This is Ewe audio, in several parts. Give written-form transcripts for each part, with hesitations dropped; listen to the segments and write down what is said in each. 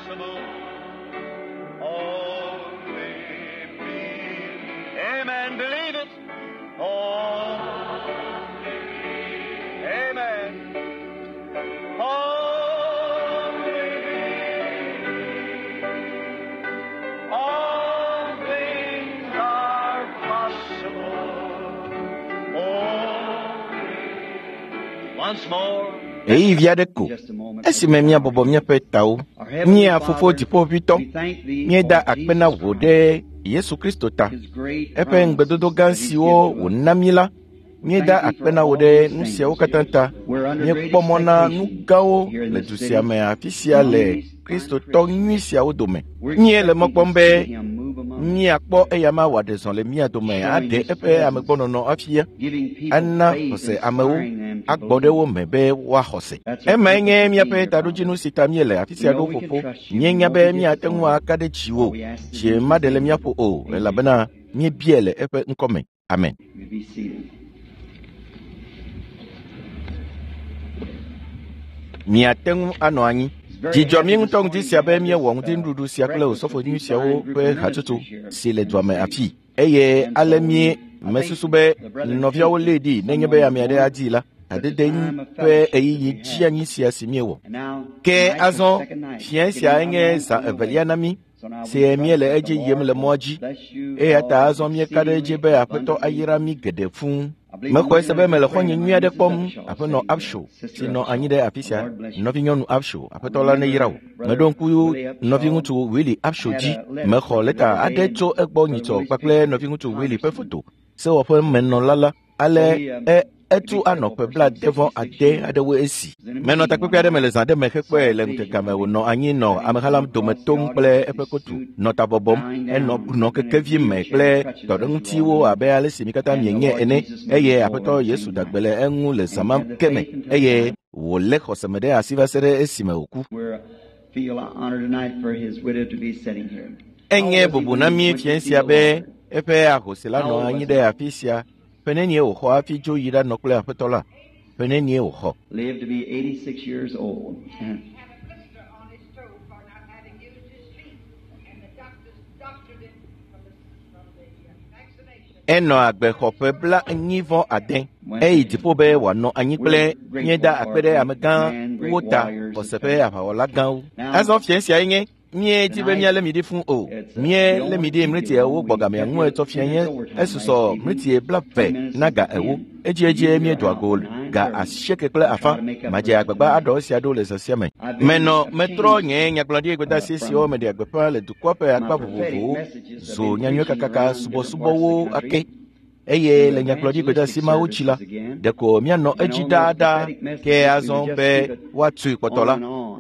possible. Only believe. Amen. Believe it. Only Amen. Only believe. All things are possible. Only. Once more. Ɣeyiɣi aɖe ko esime míabɔbɔ míaƒe tawo, mía Fofo Dziƒoʋĩtɔ, míeda akpe na wò ɖe Yesu Kristo ta, eƒe ŋugbedodo gã siwo wòna mí la, míeda akpe na wò ɖe nu siawo katã ta. Míekpɔ mɔ na nu gãwo le du sia me afi sia le Kristotɔ nyui siawo dome. Míele mɔ kpɔm be míakpɔ eyama wòaɖe zɔ le mía dome aɖe eƒe amegbɔnɔnɔ afia, ana xɔse amewo, agbɔ ɖe wo me be woaxɔ se. Emae nye míaƒe taɖodzinu si ta míele afi sia ɖo fofo. Míenya be míate ŋu aka ɖe dziwò, dzi maɖe le míaƒo o, elabena míebiae le eƒe ŋkɔ me. Amen. Miate ŋu anɔ anyi. Dzi dzɔ mí ŋutɔ ŋdi sia be míewɔ ŋutinuɖuɖu sia kple osɔfo nyui siawo ƒe hatsotso si le dua me afii. Eye ale mí mesusu be nɔviawo lée ɖi nenye be ame aɖe adii la, hadede ƒe ɣeyiɣi dzeanyi sia si míewɔ. Ke azɔ fiẽ sia nye zã evelia na mí si míele edzi yim le mɔa dzi. Eya ta azɔ míeka ɖe edzi be Aƒetɔ ayra mí geɖe fũu. Mexɔe se be mele xɔ̃nye nyui aɖe kpɔm, Aƒenɔ Absho, si nɔ anyi ɖe afi sia. Nɔvinyɔnu Absho, Aƒetɔ la neyra wò. Meɖo ŋku nɔviŋutsu Willie Absho dzi. Mexɔ lɛta aɖe tso egbɔ nyitsɔ kpakple nɔviŋutsu Willie ƒe foto, sewɔƒemenɔla la. Ale e etu anɔ ƒe blaade-vɔ-ade aɖewo esi. Menɔ takpekpe aɖe me le zã aɖe me hekpɔe le ŋutega me wònɔ anyi nɔ ameha la dome tom kple eƒe kotu, nɔ ta bɔbɔm, enɔ nɔ kekevi me kple tɔɖeŋutiwo abe ale si mi katã mienye ene eye Aƒetɔ Yesu da gbe le eŋu le zã ma ke me eye wòlé xɔse me ɖe asi va se ɖe esime wòku. Enye bubu na mí fiẽ sia be eƒe ahosi la nɔ anyi ɖe afi sia. Ƒe nenie wòxɔ hafi dzo yi ɖanɔ kple Aƒetɔ la? Ƒe nenie wòxɔ? Lived to be 86 years old. have a blister on his toe for not having used his feet, and the doctors doctored it from the, from the vaccination. Enɔ agbe xɔ ƒe bla enyi vɔ ade. Eyi dziƒo be wòanɔ anyi kple míeda akpe ɖe amegãwo ta xɔse ƒe aʋawɔla gãwo. Azɔ fiẽ siae nye míedi be míalé mi ɖi fũu o. Míelé mi ɖi mleti ewo gbɔ gamea ŋu etsɔ fia nye esusɔ mleti blaeve na ga ewo. Edziedzie míedoa go ga asieke kple afã. Madze agbagba aɖɔ esia ɖo le zã sia me. Menɔ metrɔ nye nyagblɔɖi gbedeasi siwo meɖea gbeƒã le dukɔa ƒe akpa vovovowo zu nyanyuiekakaka subɔsubɔwo ake. Eye le nyagblɔɖi gbedeasi mawo dzi la, ɖeko míanɔ edzi ɖaaɖaa ke azɔ be woatui kpɔtɔ la,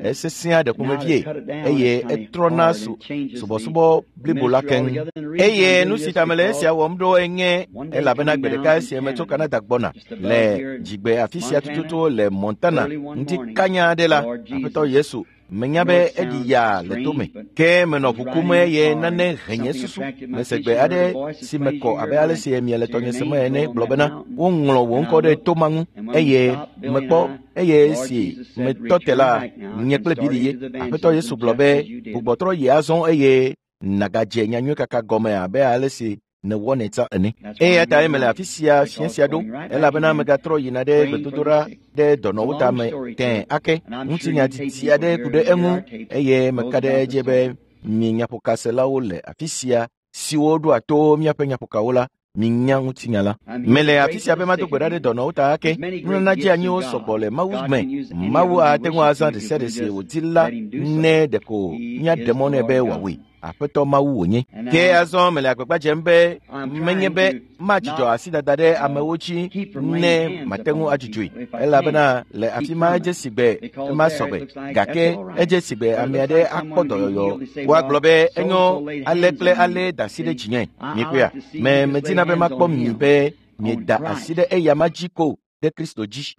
esesẽa ɖe ƒomevie eye etrɔna su subɔsubɔ blibo la keŋ. Eye nu si ta mele esia wɔm ɖo enye elabena gbe ɖeka esia metso Canada gbɔna le dzigbe afi sia tututu le Montana ŋdi kanya aɖe la, Aƒetɔ Yesu menya be eɖi yaa le tome ke menɔ ʋu kum eye nane he nye susu mese gbe aɖe si me kɔ abe ale si miele tɔnye sem ene gblɔ bena woŋlɔ wò ŋkɔ ɖe toma ŋu eye mekpɔ eye si metɔ te la nye kple Bili ye Aƒetɔ Yesu gblɔ be gbugbɔtrɔ yi azɔ eye nàgadze nyanyuiekaka gɔme abe ale si nèwɔnɛ tsã ene. Eya ta mele afi sia fiẽ sia ɖo elabena megatrɔ yina ɖe gbedodoɖa ɖe dɔnɔwo ta me tẽe ake. Ŋutinya didi aɖe ku ɖe eŋu eye meka ɖe edzi be mi nyaƒokaselawo le afi sia siwo ɖoa to míaƒe nyaƒokawo la, minya ŋutinya la. Mele afi sia be mado gbe ɖa ɖe dɔnɔwo ta ake. Nunana dzeanyiwo sɔgbɔ le Mawu me. Mawu ate ŋu azã ɖe sia ɖe si wòdi la ne ɖeko míaɖe mɔ nɛ be wòawɔe. Aƒetɔ Mawu wònye. Ke azɔ mele agbagba dzem be menye be madzudzɔ asidada ɖe amewo dzi ne mate ŋu adzudzɔe elabena le afi ma edze si gbe ema sɔgbe gake edze si gbe ame aɖe akpɔ dɔyɔyɔ woagblɔ be enyo ale kple ale da asi ɖe dzinye mikpɔea me medina be makpɔ mi be mieda asi ɖe eyama dzi ko ɖe Kristo dzi.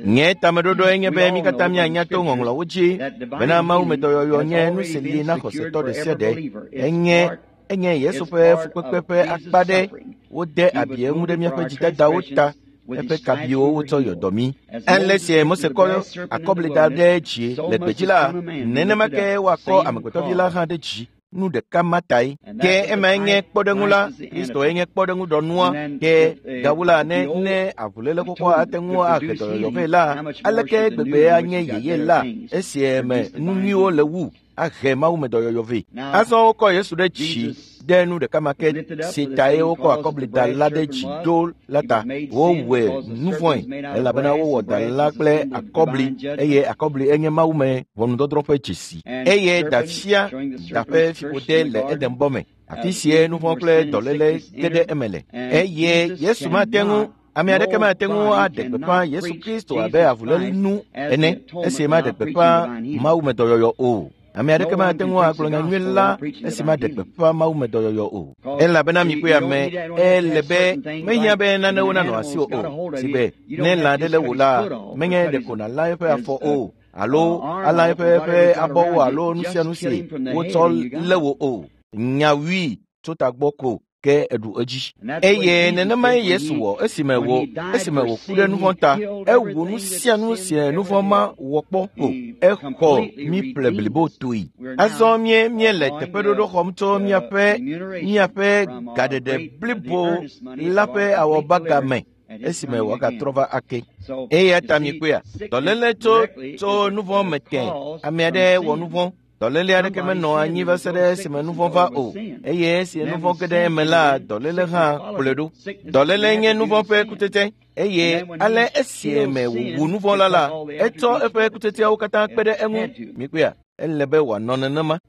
Nye tameɖoɖoe nye be mí katã míanya to ŋɔŋlɔwo dzi bena mawumedɔyɔyɔ nye nu si li na xɔsetɔ ɖe sia ɖe. Enye enye Yesu ƒe fukpekpe ƒe akpa ɖe. Wode abi eŋu ɖe míaƒe dzidadawo ta. Eƒe kabiwo wotsɔ yɔ dɔ mí. Ale si Mose kɔ akɔbli da ɖe dzi le gbedzi la, nenema ke woakɔ amegbetɔvi la hã ɖe dzi. Nu ɖeka ma tae. Ke emae nye kpɔɖeŋu la, Kristoe nye kpɔɖeŋu ɖɔnua. Ke gawu la, ne ne avuléle xoxoa ate ŋu ahe dɔyɔyɔ vɛ la, aleke gbegbe anye yeye la esie me nu nyuiwo le wu ahe mawume dɔyɔyɔ vɛ. Azɔ wokɔ Yesu ɖe dzi ɖe nu ɖeka ma ke si tae wokɔ akɔbli da la ɖe dzi ɖo la ta. Wowɔe nu vɔ̃e elabena wowɔ da la kple akɔbli eye akɔbli enye mawume ʋɔnudɔdrɔ̃ ƒe dzesi. Eye da fia da ƒe fiƒode le Edenbɔ me. Afi sie nu vɔ̃ kple dɔléle ge ɖe eme le. Eye Yesu mate ŋu Ame aɖeke mate ŋu aɖe gbeƒã Yesu Kristo abe avulénu ene esi maɖe gbeƒã mawume dɔyɔyɔ o. Ame aɖeke mate ŋu agblɔ nyanyui la esi maɖe gbeƒã mawume dɔyɔyɔ o. Elabena mikpɔe ame ele be mehiã be nanewo nanɔ asiwò o. Si be ne lã aɖe le wò la, menye ɖeko nàlã eƒe afɔ o alo alã eƒe abɔwo alo nu sia nu si wotsɔ lé wò o. Nyawui tso tagbɔ ko ke eɖu edzi. Eye nenemae Yesu wɔ esime wòku ɖe nu vɔ̃ ta. Ewu nu sia nu si nu vɔ̃ ma wɔ kpɔ ko. Exɔ mí ƒle blibo toe. Azɔ míele teƒeɖoɖo xɔm tso míaƒe gaɖeɖe blibo la ƒe awɔbaga me esime wòagatrɔ va ake. Eya ta mikpɔea, dɔléle tso nu vɔ̃ me tẽ. Ame aɖe wɔ nu vɔ̃. Dɔléle aɖeke menɔ anyi va se ɖe esime nu vɔ̃ va o, eye esi nu vɔ̃ ge ɖe eme la, dɔléle hã kplɔe ɖo. Dɔléle nye nu vɔ̃ ƒe kutsetse eye ale esime wòwu nu vɔ̃ la la, etsɔ eƒe kutsetseawo katã kpe ɖe eŋu. Mikpɔea, ele be wòanɔ nenema.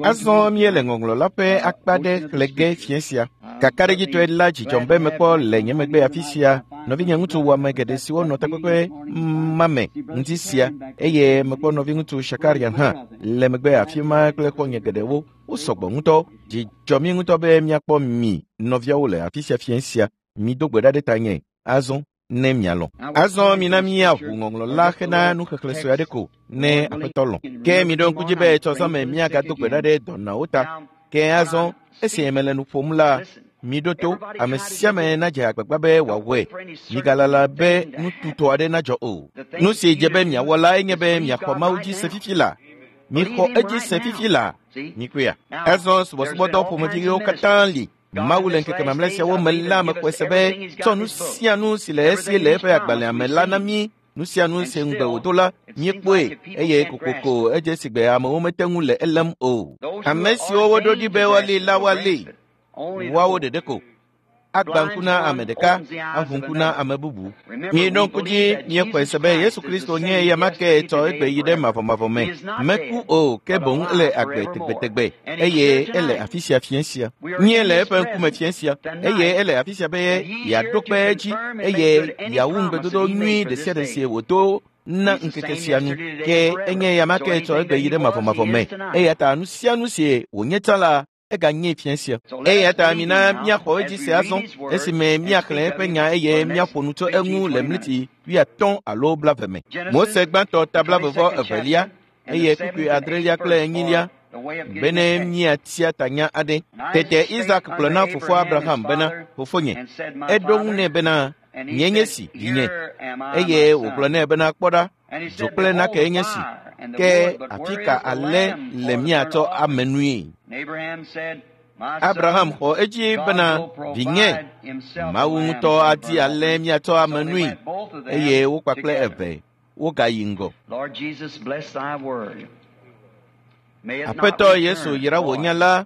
Azɔ míele ŋɔŋlɔ la ƒe akpa ɖe xlẽ ge fiẽ sia. Kakaɖedzitɔe la dzidzɔm be mekpɔ le nye megbe afi sia nɔvinye ŋutsu wɔame geɖe siwo nɔ takpekpe ma me ŋdi sia eye mekpɔ nɔviŋutsu Shakaria hã le megbe afi ma kple xɔ̃nye geɖewo. Wosɔgbɔ ŋutɔ. Dzi dzɔ mí ŋutɔ be míakpɔ mi nɔviawo le afi sia fiẽ sia. Mido gbe ɖa ɖe tanye azɔ ne mialɔ̃. Azɔ mina míaʋu ŋɔŋlɔ la hena nuxexlẽ sue aɖe ko ne Aƒetɔ lɔ̃. Ke miɖo ŋku dzi be etsɔ zã me míagado gbe ɖa ɖe dɔnɔawo ta. Ke azɔ esi mele nu ƒom la, miɖo to ame sia ame nadze agbagba be wòawɔe. Migalala be nututɔ aɖe nadzɔ o. Nu si dze be miawɔ lae nye be miaxɔ Mawu dzi se fifi la. Mixɔ edzi se fifi la. Mikpɔea? Azɔ subɔsubɔdɔ ƒomeviwo katã li. Mawu le ŋkeke mamlɛ siawo me la mexɔe se be tsɔ nu sia nu si le esi le eƒe agbalẽa me la na mí. Nu sia nu si ŋugbe wòdo la, míekpɔe eye kokoko edze si gbe amewo mete ŋu le elém o. Ame siwo woɖo ɖi be woalée la woalée, woawo ɖeɖe ko. Agba ŋku na ame ɖeka, aʋu ŋku na ame bubu. Mieɖo ŋku dzi míexɔe se be Yesu Kristo nye eya ma ke tsɔ egbe yi ɖe mavɔmavɔ me. Meku o, ke boŋ ele agbe tegbetegbe eye ele afi sia fiẽ sia. Míele eƒe ŋkume fiẽ sia eye ele afi sia be yeaɖo kpe edzi eye yeawu ŋugbedodo nyui ɖe sia ɖe si wòdo na ŋkeke sia nu. Ke enye eya ma ke tsɔ egbe yi ɖe mavɔmavɔ me. Eya ta nu sia nu si wònye tsã la, eganye fiẽ sia. Eya ta mina míaxɔ edzi se azɔ esime míaxlẽ eƒe nya eye míaƒo nu tso eŋu le mliti 50 alo 20 me. Mose gbãtɔ ta 22 eye kpukpui 8 kple 4 bene míatia tanya aɖe. Tete Isak gblɔ na fofoa Abraham bena, fofonye. Eɖo ŋu nɛ bena, nye nye si, vinye. Eye wògblɔ nɛ bena, kpɔ ɖa, dzo kple nake nye si. Ke afi ka ale le míatsɔ ame nui? Abraham xɔ edzi bena, vinye, Mawu ŋutɔ adi ale míatsɔ ame nui. Eye wo kpakple eve wogayi ŋgɔ. Aƒetɔ Yesu yra wò nya la,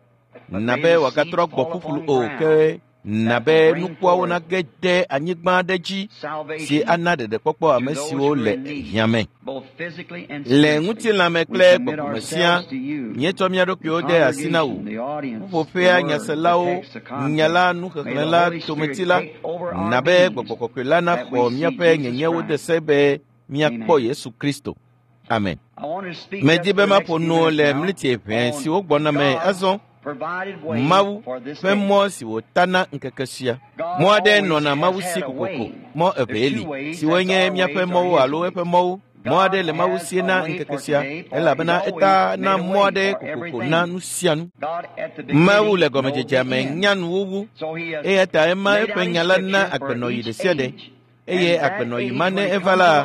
na be wòagatrɔ gbɔ ƒuƒlu o, ke na be nukuawo nage ɖe anyigba aɖe dzi si ana ɖeɖekpɔkpɔ ame siwo le hiã me. Le ŋutilãme kple gbɔgbɔme sia, míetsɔ mía ɖokuiwo de asi na wò. Ƒuƒoƒea nyaselawo, nya la, nuxexlẽ la, tometi la, na be gbɔgbɔ kɔkɔe la naxɔ míaƒe nyenyewo de se be míakpɔ Yesu Kristo. Amen. Medi be maƒo nu le mliti ʋɛ siwo gbɔna me azɔ. Mawu ƒe mɔ si wòta na ŋkeke sia. Mɔ aɖe nɔna Mawu si kokoko. Mɔ evee li, siwo nye míaƒe mɔwo alo eƒe mɔwo. Mɔ aɖe le Mawu sie na ŋkeke sia elabena eta na mɔ aɖe kokoko na nu sia nu. Mawu le gɔmedzedzea me nya nuwuwu eya ta ema eƒe nya la na agbenɔɣi ɖe sia ɖe eye agbenɔɣi ma ne eva la,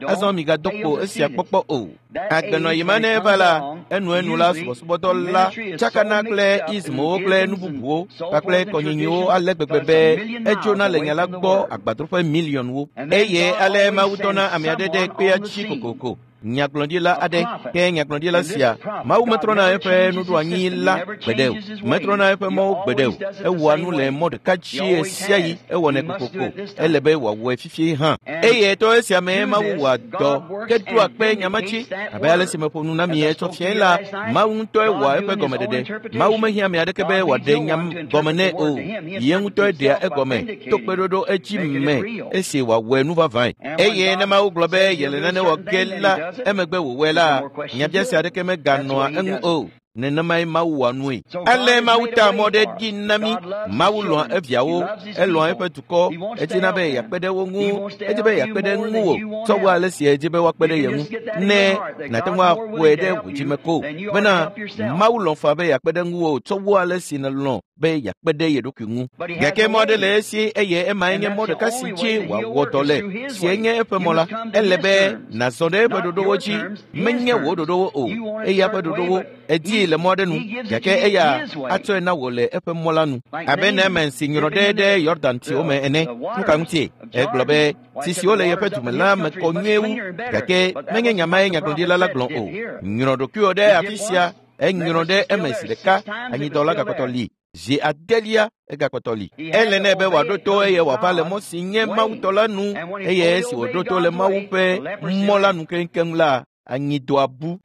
azɔ migado kpo esia kpɔkpɔ o. Agbenɔɣi ma ne eva la, enuenu la subɔsubɔdɔ la tsakana kple ismowo kple nu bubuwo kpakple kɔnyinyiwo ale gbegbe be edzona le nya la gbɔ agbadroƒe miliɔnwo. Eye ale Mawu dɔna ame aɖe ɖe kpea dzi kokoko. Nyagblɔɖila aɖe ke nyagblɔɖila sia Mawu metrɔna eƒe nuɖoanyi la gbeɖe o, metrɔna eƒe mɔwo gbeɖe o. Ewɔa nu le mɔ ɖeka dzi ɣe sia ɣi, ewɔnɛ kokoko. Ele be wòawɔe fifie hã. Eye to esia mee Mawu wɔa dɔ ke ɖoa kpe nya ma dzi. Abe ale si meƒo nu na mi etsɔ fiae la, Mawu ŋutɔe wɔa eƒe gɔmeɖeɖe. Mawu mehiã ame aɖeke be wòaɖe nya gɔme nɛ o. Ye ŋutɔe ɖea egɔme to kpeɖoɖo edzi me esi wòawɔe nu vavãe. Eye ne Mawu gblɔ be yele nane wɔ ge la, emegbe wòwɔe la, nyabiase aɖeke meganɔa eŋu o. Nenemae Mawu wɔa nue. Ale Mawu ta mɔ ɖe ɖi na mí. Mawu lɔ̃a eviawo, elɔ̃a eƒe dukɔ, edina be yeakpe ɖe wo ŋu, edi be yeakpe ɖe ŋuwò tsɔ wu ale si edzi be woakpe ɖe ye ŋu. Ne nàte ŋu aƒoe ɖe wò dzime ko bena Mawu lɔ̃ faa be yeakpe ɖe ŋuwò tsɔ wu ale si nèlɔ̃ be yeakpe ɖe ye ɖokui ŋu. Gake mɔ aɖe le esi eye emae nye mɔ ɖeka si dzi wòawɔ dɔ le, sie nye eƒe mɔ la. Ele be nàzɔ ɖe eƒe ɖoɖowo dzi, menye wò ɖoɖowo o, eya ƒe ɖoɖowo. Edii le mɔ aɖe nu, gake eya atsɔe na wò le eƒe mɔ la nu. Abe Naaman si nyrɔ ɖe ɖe Yɔdan tsiwo me ene. Nu ka ŋutie? Egblɔ be tsi siwo le yeƒe dume la me kɔ nyuie wu, gake menye nya mae nyagblɔɖila la gblɔ o. Nyrɔ ɖokuiwò ɖe afi sia, enyrɔ ɖe eme zi ɖeka, anyidɔ la gakpɔtɔ li. Zi adelia egakpɔtɔ li. Ele nɛ be wòaɖo to eye wòava le mɔ si nye Mawu tɔ la nu eye esi wòɖo to le Mawu ƒe mɔ la nu keŋkeŋ la, anyidɔa bu.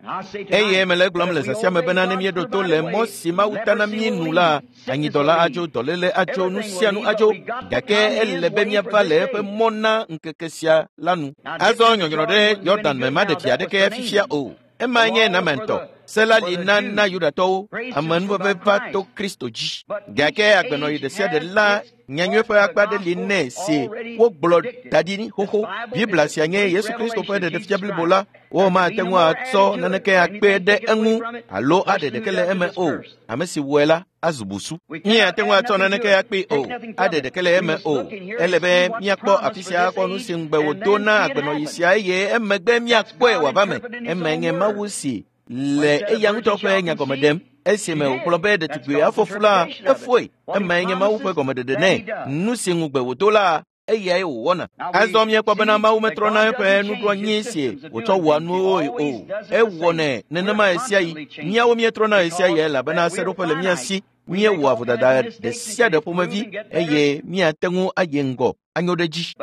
Eye mele egblɔm le zã sia me bena ne míeɖo to le mɔ si Mawu ta na mí nu la, anyidɔ la adzo, dɔléle adzo, nu sia nu adzo. Gake ele be míava le eƒe mɔ na ŋkeke sia la nu. Azɔ nyɔnyrɔ ɖe Yɔdan me maɖe vi aɖeke fifia o. Emae nye Naaman tɔ. Se la li na na Yudatɔwo, amenuveve va to Kristo dzi. Gake agbenɔɣi ɖe sia ɖe la, nyanyui ƒe akpa aɖe li nɛ si wogblɔ da ɖi xoxo. Biblia sia nye Yesu Kristo ƒe ɖeɖefia blibo la. Womate ŋu atsɔ naneke akpe ɖe eŋu alo aɖe ɖeke le eme o. Ame si wɔe la azu busu. Míate ŋu atsɔ naneke akpee o, aɖe ɖeke le eme o. Ele be míakpɔ afi sia akpɔ nu si ŋugbe wòdo na agbenɔɣi sia eye emegbe míakpɔe wòava me. Emae nye Mawu si le eya ŋutɔ ƒe nyagɔme ɖem. Esime wògblɔ be ɖetugbui afɔ fu la, efoe. Emae nye Mawu ƒe gɔmeɖeɖe nɛ. Nu si ŋugbe wòdo la, eyae wòwɔna. Azɔ míekpɔ bena Mawu metrɔna eƒe nuɖoanyi si wòtsɔ wɔa nuwoe o. Ewɔnɛ nenema ɣe sia ɣi. Míawo míetrɔna ɣe sia ɣi elabena seɖoƒe le mía si. Míewɔa vodada ɖe sia ɖe ƒomevi eye míate ŋu ayi ŋgɔ anyo ɖe dzi.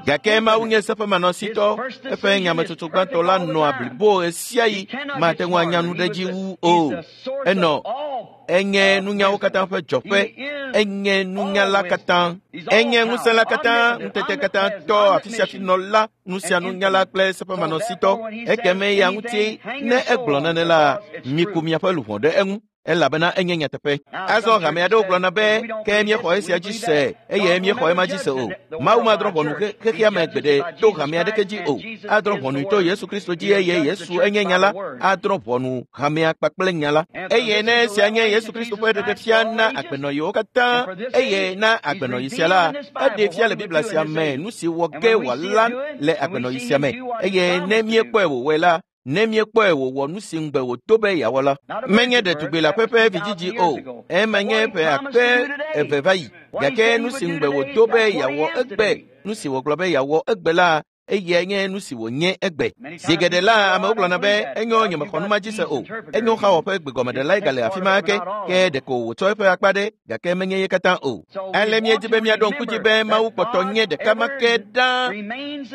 Gake Mawu nye seƒemanɔsitɔ. Eƒe nyametsotso gbãtɔ la nɔa blibo ɣe sia ɣi. Mate ŋu anya nu ɖe dzi wu o. Enɔ enye nunyawo katã ƒe dzɔƒe, enye nunyala katã, enye ŋusẽ la katã, ŋutete katã tɔ afi sia afi nɔla, nu sia nunyala kple seƒemanɔsitɔ. Ekeme eya ŋuti ne egblɔ nane la, miku miaƒe luʋɔ ɖe eŋu. Elabena enye nyateƒe. Azɔ hame aɖewo gblɔna be ke míexɔ esia dzi se eye míexɔ ema dzi se o. Mawu madrɔ̃ ʋɔnu xexea me gbeɖe to hame aɖeke dzi o. Adrɔ̃ ʋɔnui to Yesu Kristo dzi eye Yesu enye nya la. Adrɔ̃ ʋɔnu hamea kpakple nya la. Eye ne esia nye Yesu Kristo ƒe ɖeɖefia na agbenɔɣiwo katã eye na agbenɔɣi sia la, eɖee fia le Biblia sia me nu si wɔ ge wòala le agbenɔɣi sia me. Eye ne míekpɔe wòwɔe la, ne míekpɔe wòwɔ nu si ŋugbe wòdo be yeawɔ la, menye ɖetugbui leaƒe ƒe vidzidzi o, ema nye ƒe akpe eve va yi. Gake nu si ŋugbe wòdo be yeawɔ egbe, nu si wògblɔ be yeawɔ egbe la, eyae nye nu si wònye egbe. Zi geɖe la, amewo gblɔna be enyo nyemexɔ nu ma dzi se o. Enyo xawɔ ƒe gbegɔmeɖelae gale afi ma ke, ke ɖeko wòtsɔ eƒe akpa ɖe, gake menye ye katã o. Ale míedi be míaɖo ŋku dzi be Mawu kpɔtɔ nye ɖeka ma ke ɖaa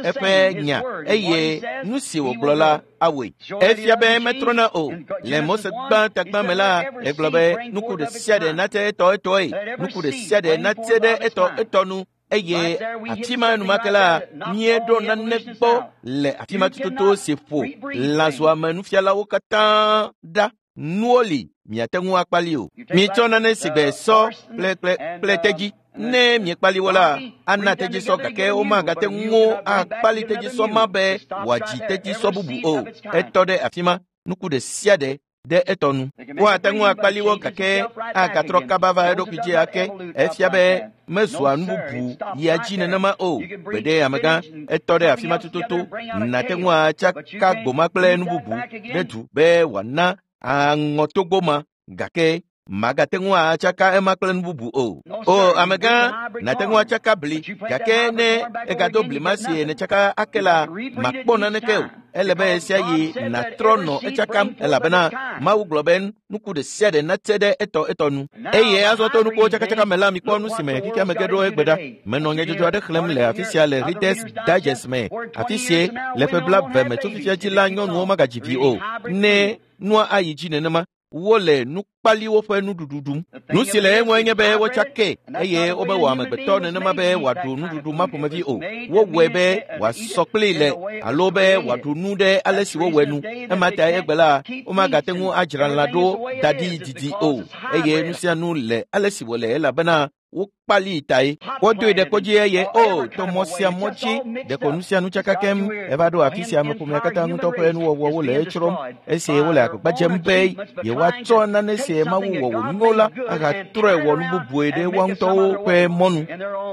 eƒe nya eye nu si wògblɔ la awɔe. Efia be metrɔna o. Le Mose gbã tagbã me la, egblɔ be nuku ɖe sia ɖe nate etɔ etɔe, nuku ɖe sia ɖe nate ɖe etɔ etɔ nu. Eye afi ma enumake la, míeɖo nane gbɔ le afi ma tututu si ƒo lãzuame nufialawo katã ɖa. Nuwo li miate ŋu akpali o. Mitsɔ nane si gbe sɔ kple tedzi. Ne miekpali wo la, ana tedzisɔ gake womagate ŋu akpali tedzisɔ ma be wòadzi tedzisɔ bubu o. Etɔ ɖe afi ma, nuku ɖe sia ɖe ɖe etɔ nu. Woate ŋu akpali wo gake agatrɔ kaba va eɖokui dzi ake. Efia be mezua nu bubu yia dzi nenema o. Gbeɖe amegã, etɔ ɖe afi ma tututu. Nàte ŋu atsaka gboma kple nu bubu ɖe du be wòana aŋɔtogbo ma gake magate ŋu atsaka ema kple nu bubu o. O amegã, nàte ŋu atsaka bli gake ne egado bli ma si nètsaka ake la, màkpɔ naneke o. Ele be ɣe sia ɣi nàtrɔ nɔ etsakam elabena Mawu gblɔ be nuku ɖe sia ɖe natse ɖe etɔ etɔ nu. Eye azɔ to nukuwo tsakatsaka me la, mikpɔ nu si me xexea me ge ɖo egbe ɖa. Menɔ nyadzɔdzɔ aɖe xlẽm le afi sia le Reader's Digest me. Afi sie le ƒe 20 me tso fifia dzi la, nyɔnuwo magadzi vi o. Ne nua ayi dzi nenema, wole nukpaliwo ƒe nuɖuɖu ɖum. Nu si le eŋue nye be wotsakee eye womewɔ amegbetɔ nenema be wòaɖu nuɖuɖu ma ƒomevi o. Wowɔe be wòasɔ kplii le alo be wòaɖu nu ɖe ale si wowɔe nu. Ema ta egbe la, womagate ŋu adzra lã ɖo da ɖi didi o eye nu sia nu le ale si wòle elabena wokpali tae. Wodoe ɖe kpodzi eye o to mɔ sia mɔ dzi ɖeko nu sia nu tsaka keŋ eva ɖo afi sia ameƒomea katã ŋutɔ ƒe nuwɔwɔwo le etsrɔ̃m esi wole agbagba dzem be yewoatsɔ nane si Mawu wɔ wònyo la ahatrɔe wɔ nu bubue ɖe woa ŋutɔwo ƒe mɔnu.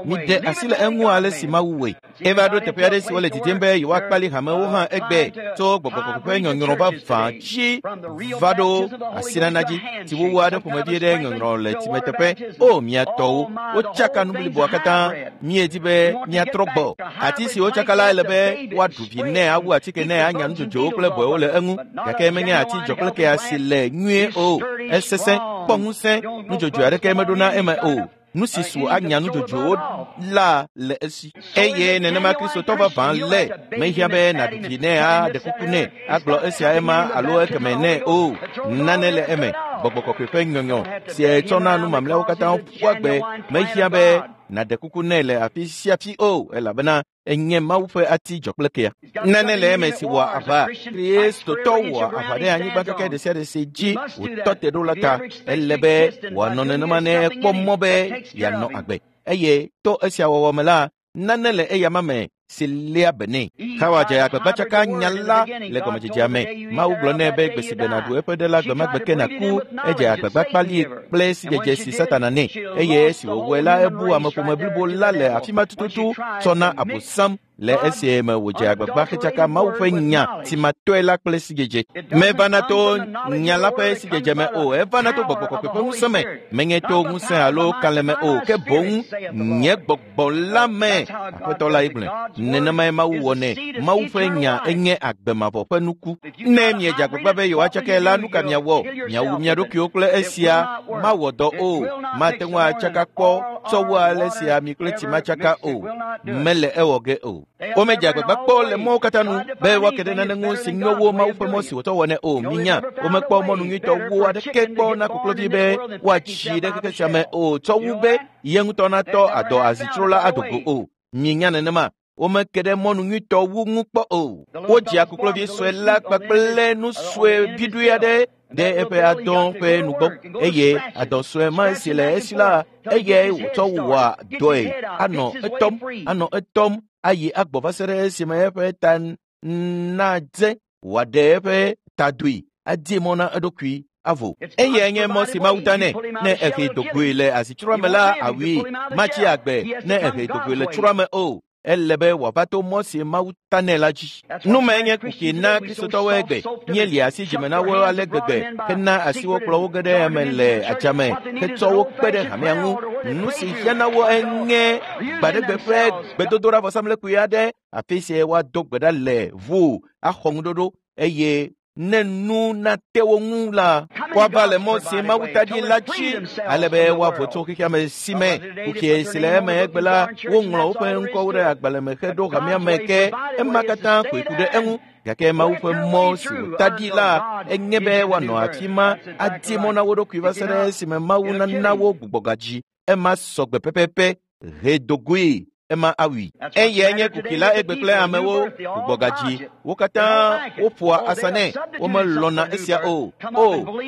Miɖe asi le eŋu ale si Mawu wɔe. Eva ɖo teƒe aɖe si wole didim be yewoakpali hamewo hã egbe tso gbɔgbɔ kɔkɔe ƒe nyɔnyrɔ vavã dzi va ɖo asinana dzi si wowu aɖe ƒomevi ɖe nyɔnyrɔ le tsimeteƒe. O mia tɔwo, wotsaka nu bliboa katã. Míedi be míatrɔ gbɔ. Ati si wotsaka la ele be woaɖu vi nɛ, awu atike nɛ, anya nudzodzoewo kple bɔewo le eŋu. Gake menye ati dzɔkplekea si le nyuie o. Esesẽ, kpɔ ŋusẽ, nudzodzoe aɖeke meɖona eme o. Nu si su anya nudzodzoewo la le esi. Eye nenema Kristotɔ vavã le. Mehiã be nàɖu vi nɛ, aɖe kuku nɛ, agblɔ esia ema alo ekeme nɛ o. Nane le eme. Gbɔgbɔ kɔkɔe ƒe nyɔnyɔ si etsɔna nu mamlɛawo katã ƒua gbe. Mehiã be nàɖe kuku nɛ le afi sia afi o elabena enye Mawu ƒe ati dzɔkplekea. Nane le eme si wɔa aʋa. Kristotɔ wɔa aʋa ɖe anyigba keke ɖe sia ɖe si dzi wòtɔ te ɖo la ta. Ele be wòanɔ nenema ne ekpɔ mɔ be yeanɔ agbe. Eye to esia wɔwɔ me la, nane le eyama me si léa be nɛ. Xawa dze agbagba tsaka nya la le gɔmedzedzea me. Mawu gblɔ nɛ be gbe si gbe nàɖu eƒe ɖe la gbemagbe ke nàku. Edze agbagba kpali kple sidzedze si Satana nɛ. Eye esi wòwɔe la, ebu ameƒome blibo la le afi ma tututu tsɔ na Abosam le esie me wòdze agbagba hetsaka Mawu ƒe nya si matɔe la kple sidzedze. Mevana to nya la ƒe sidzedze me o, evana to gbɔgbɔ kɔkɔe ƒe ŋusẽ me. Menye to ŋusẽ alo kalẽ me o, ke boŋ nye gbɔgbɔ la me. Aƒetɔ la ye gblɔe. Nenemae Mawu wɔnɛ. Mawu ƒe nya enye agbe mavɔ ƒe nuku. Ne miedze agbagba be yewoatsakae la, nu ka miawɔ? Miawu mia ɖokuiwo kple esia mawɔ dɔ o. Mate ŋu atsaka kpɔ tsɔ wu ale si ami kple tsi matsaka o. Mele ewɔ ge o. Womedze agbagba kpɔ le mɔwo katã nu be woake ɖe nane ŋu si nyo wu Mawu ƒe mɔ si wòtsɔ wɔnɛ o. Minya, womekpɔ mɔnu nyuitɔ wu aɖeke kpɔ na koklovi be woatsi ɖe xexe sia me o tsɔ wu be ye ŋutɔ natɔ adɔ azitsro la ado go o. Minya nenema. Womeke ɖe mɔnu nyuitɔ wu ŋu kpɔ o. Wodzia koklovi sue la kpakple nu sue viɖui aɖe ɖe eƒe adɔ ƒe nugbɔ eye adɔ sue ma si le esi la eyae wòtsɔ wɔa dɔe. Anɔ etɔm, anɔ etɔm ayi agbɔ va se ɖe esime eƒe ta nadze wòaɖe eƒe tadoe adie mɔ na eɖokui avo. Eyae nye mɔ si Mawu ta nɛ. Ne ehe dogoe le azitsroa me la, awui. Matsi agbe ne ehe dogoe le tsroa me o. Ele be wòava to mɔ si Mawu ta nɛ la dzi. Nu mae nye kuxi na Kristotɔwo egbe. Míeli asi dzime na wo ale gbegbe hena asiwo kplɔ wo ge ɖe eme le adzame hetsɔ wo kpe ɖe hamea ŋu. Nu si hiã na wo enye gbaɖegbe ƒe gbedodoɖa vɔsamlekpui aɖe afi si woado gbe ɖa le ʋuu axɔ ŋuɖoɖo eye ne nu nate wo ŋu la, woava le mɔ si Mawu ta ɖi la dzi ale be woavo tso xexea me si me. Kuxi si le eme egbe la, woŋlɔ woƒe ŋkɔwo ɖe agbalẽ me heɖo hamea me ke ema katã koe ku ɖe eŋu. Gake Mawu ƒe mɔ si wòta ɖi la enye be woanɔ afi ma adi mɔ na wo ɖokui va se ɖe esime Mawu nana wo gbugbɔgadzi. Ema sɔgbe pɛpɛpɛ. He dogoe. Ema awui. Eyae nye kuki la egbe kple amewo gbugbɔgadzi. Wo katã woƒoa asa nɛ. Womelɔ̃na esia o. O,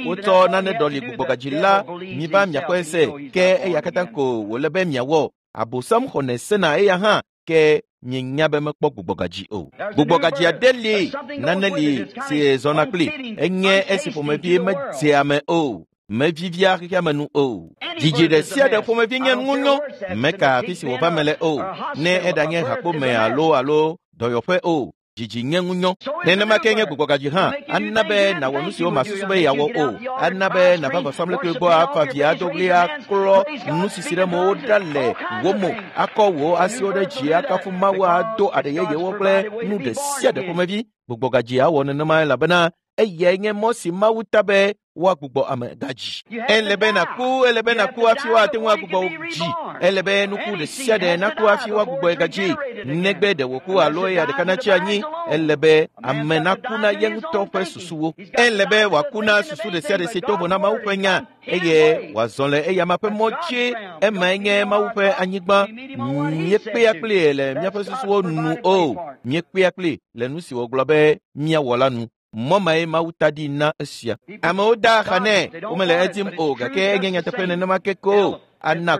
wotsɔ nane ɖɔli gbugbɔgadzi la miva miaxɔe se ke eya katã ko wòle be miawɔ. Abosam xɔnɛ sena eya hã ke mienya be mekpɔ gbugbɔgadzi o. Gbugbɔgadzi aɖe li, nane li si zɔna kpli. Enye esi ƒomevi medzea ame o. Mevivia xexea me nu o. Dzidzi ɖe sia ɖe ƒomevi nye ŋunyɔ. Meka afi si wòva me le o. Ne eɖanye hakpome alo dɔyɔƒe o. Dzidzi nye ŋunyɔ. Nenema ke nye gbugbɔgadzi hã ana be nàwɔ nu siwo màsusu be yeawɔ o. Ana be nàva vɔsamlekpui gbɔ afa vi ado ɣli aklɔ nusisi ɖe mowo ɖa le wò mo, akɔ wò asiwo ɖe dzi akafu Mawu ado aɖe yeyewo kple nu ɖe sia ɖe ƒomevi. Gbugbɔgadzi awɔ nenema elabena eyae nye mɔ si Mawu ta be woagbugbɔ ame gadzi. Ele be nàku, ele be nàku hafi woate ŋu agbugbɔ wò dzi. Ele be nuku ɖe sia ɖe naku hafi woagbugbɔe gadzi. Negbe ɖe wòku alo eya ɖeka natsi anyi. Ele be ame naku na ye ŋutɔ ƒe susuwo. Ele be wòaku na susu ɖe sia ɖe si to vo na Mawu ƒe nya eye wòazɔ le eyama ƒe mɔ dzi. Emae nye Mawu ƒe anyigba. Míekpea kpli le míaƒe susuwo nu o. Míekpea kpli le nu si wògblɔ be míawɔ la nu. Mɔ mae Mawu ta ɖi na esia. Amewo da axa nɛ, womele edim o gake enye nyateƒe nenema ke ko. Ena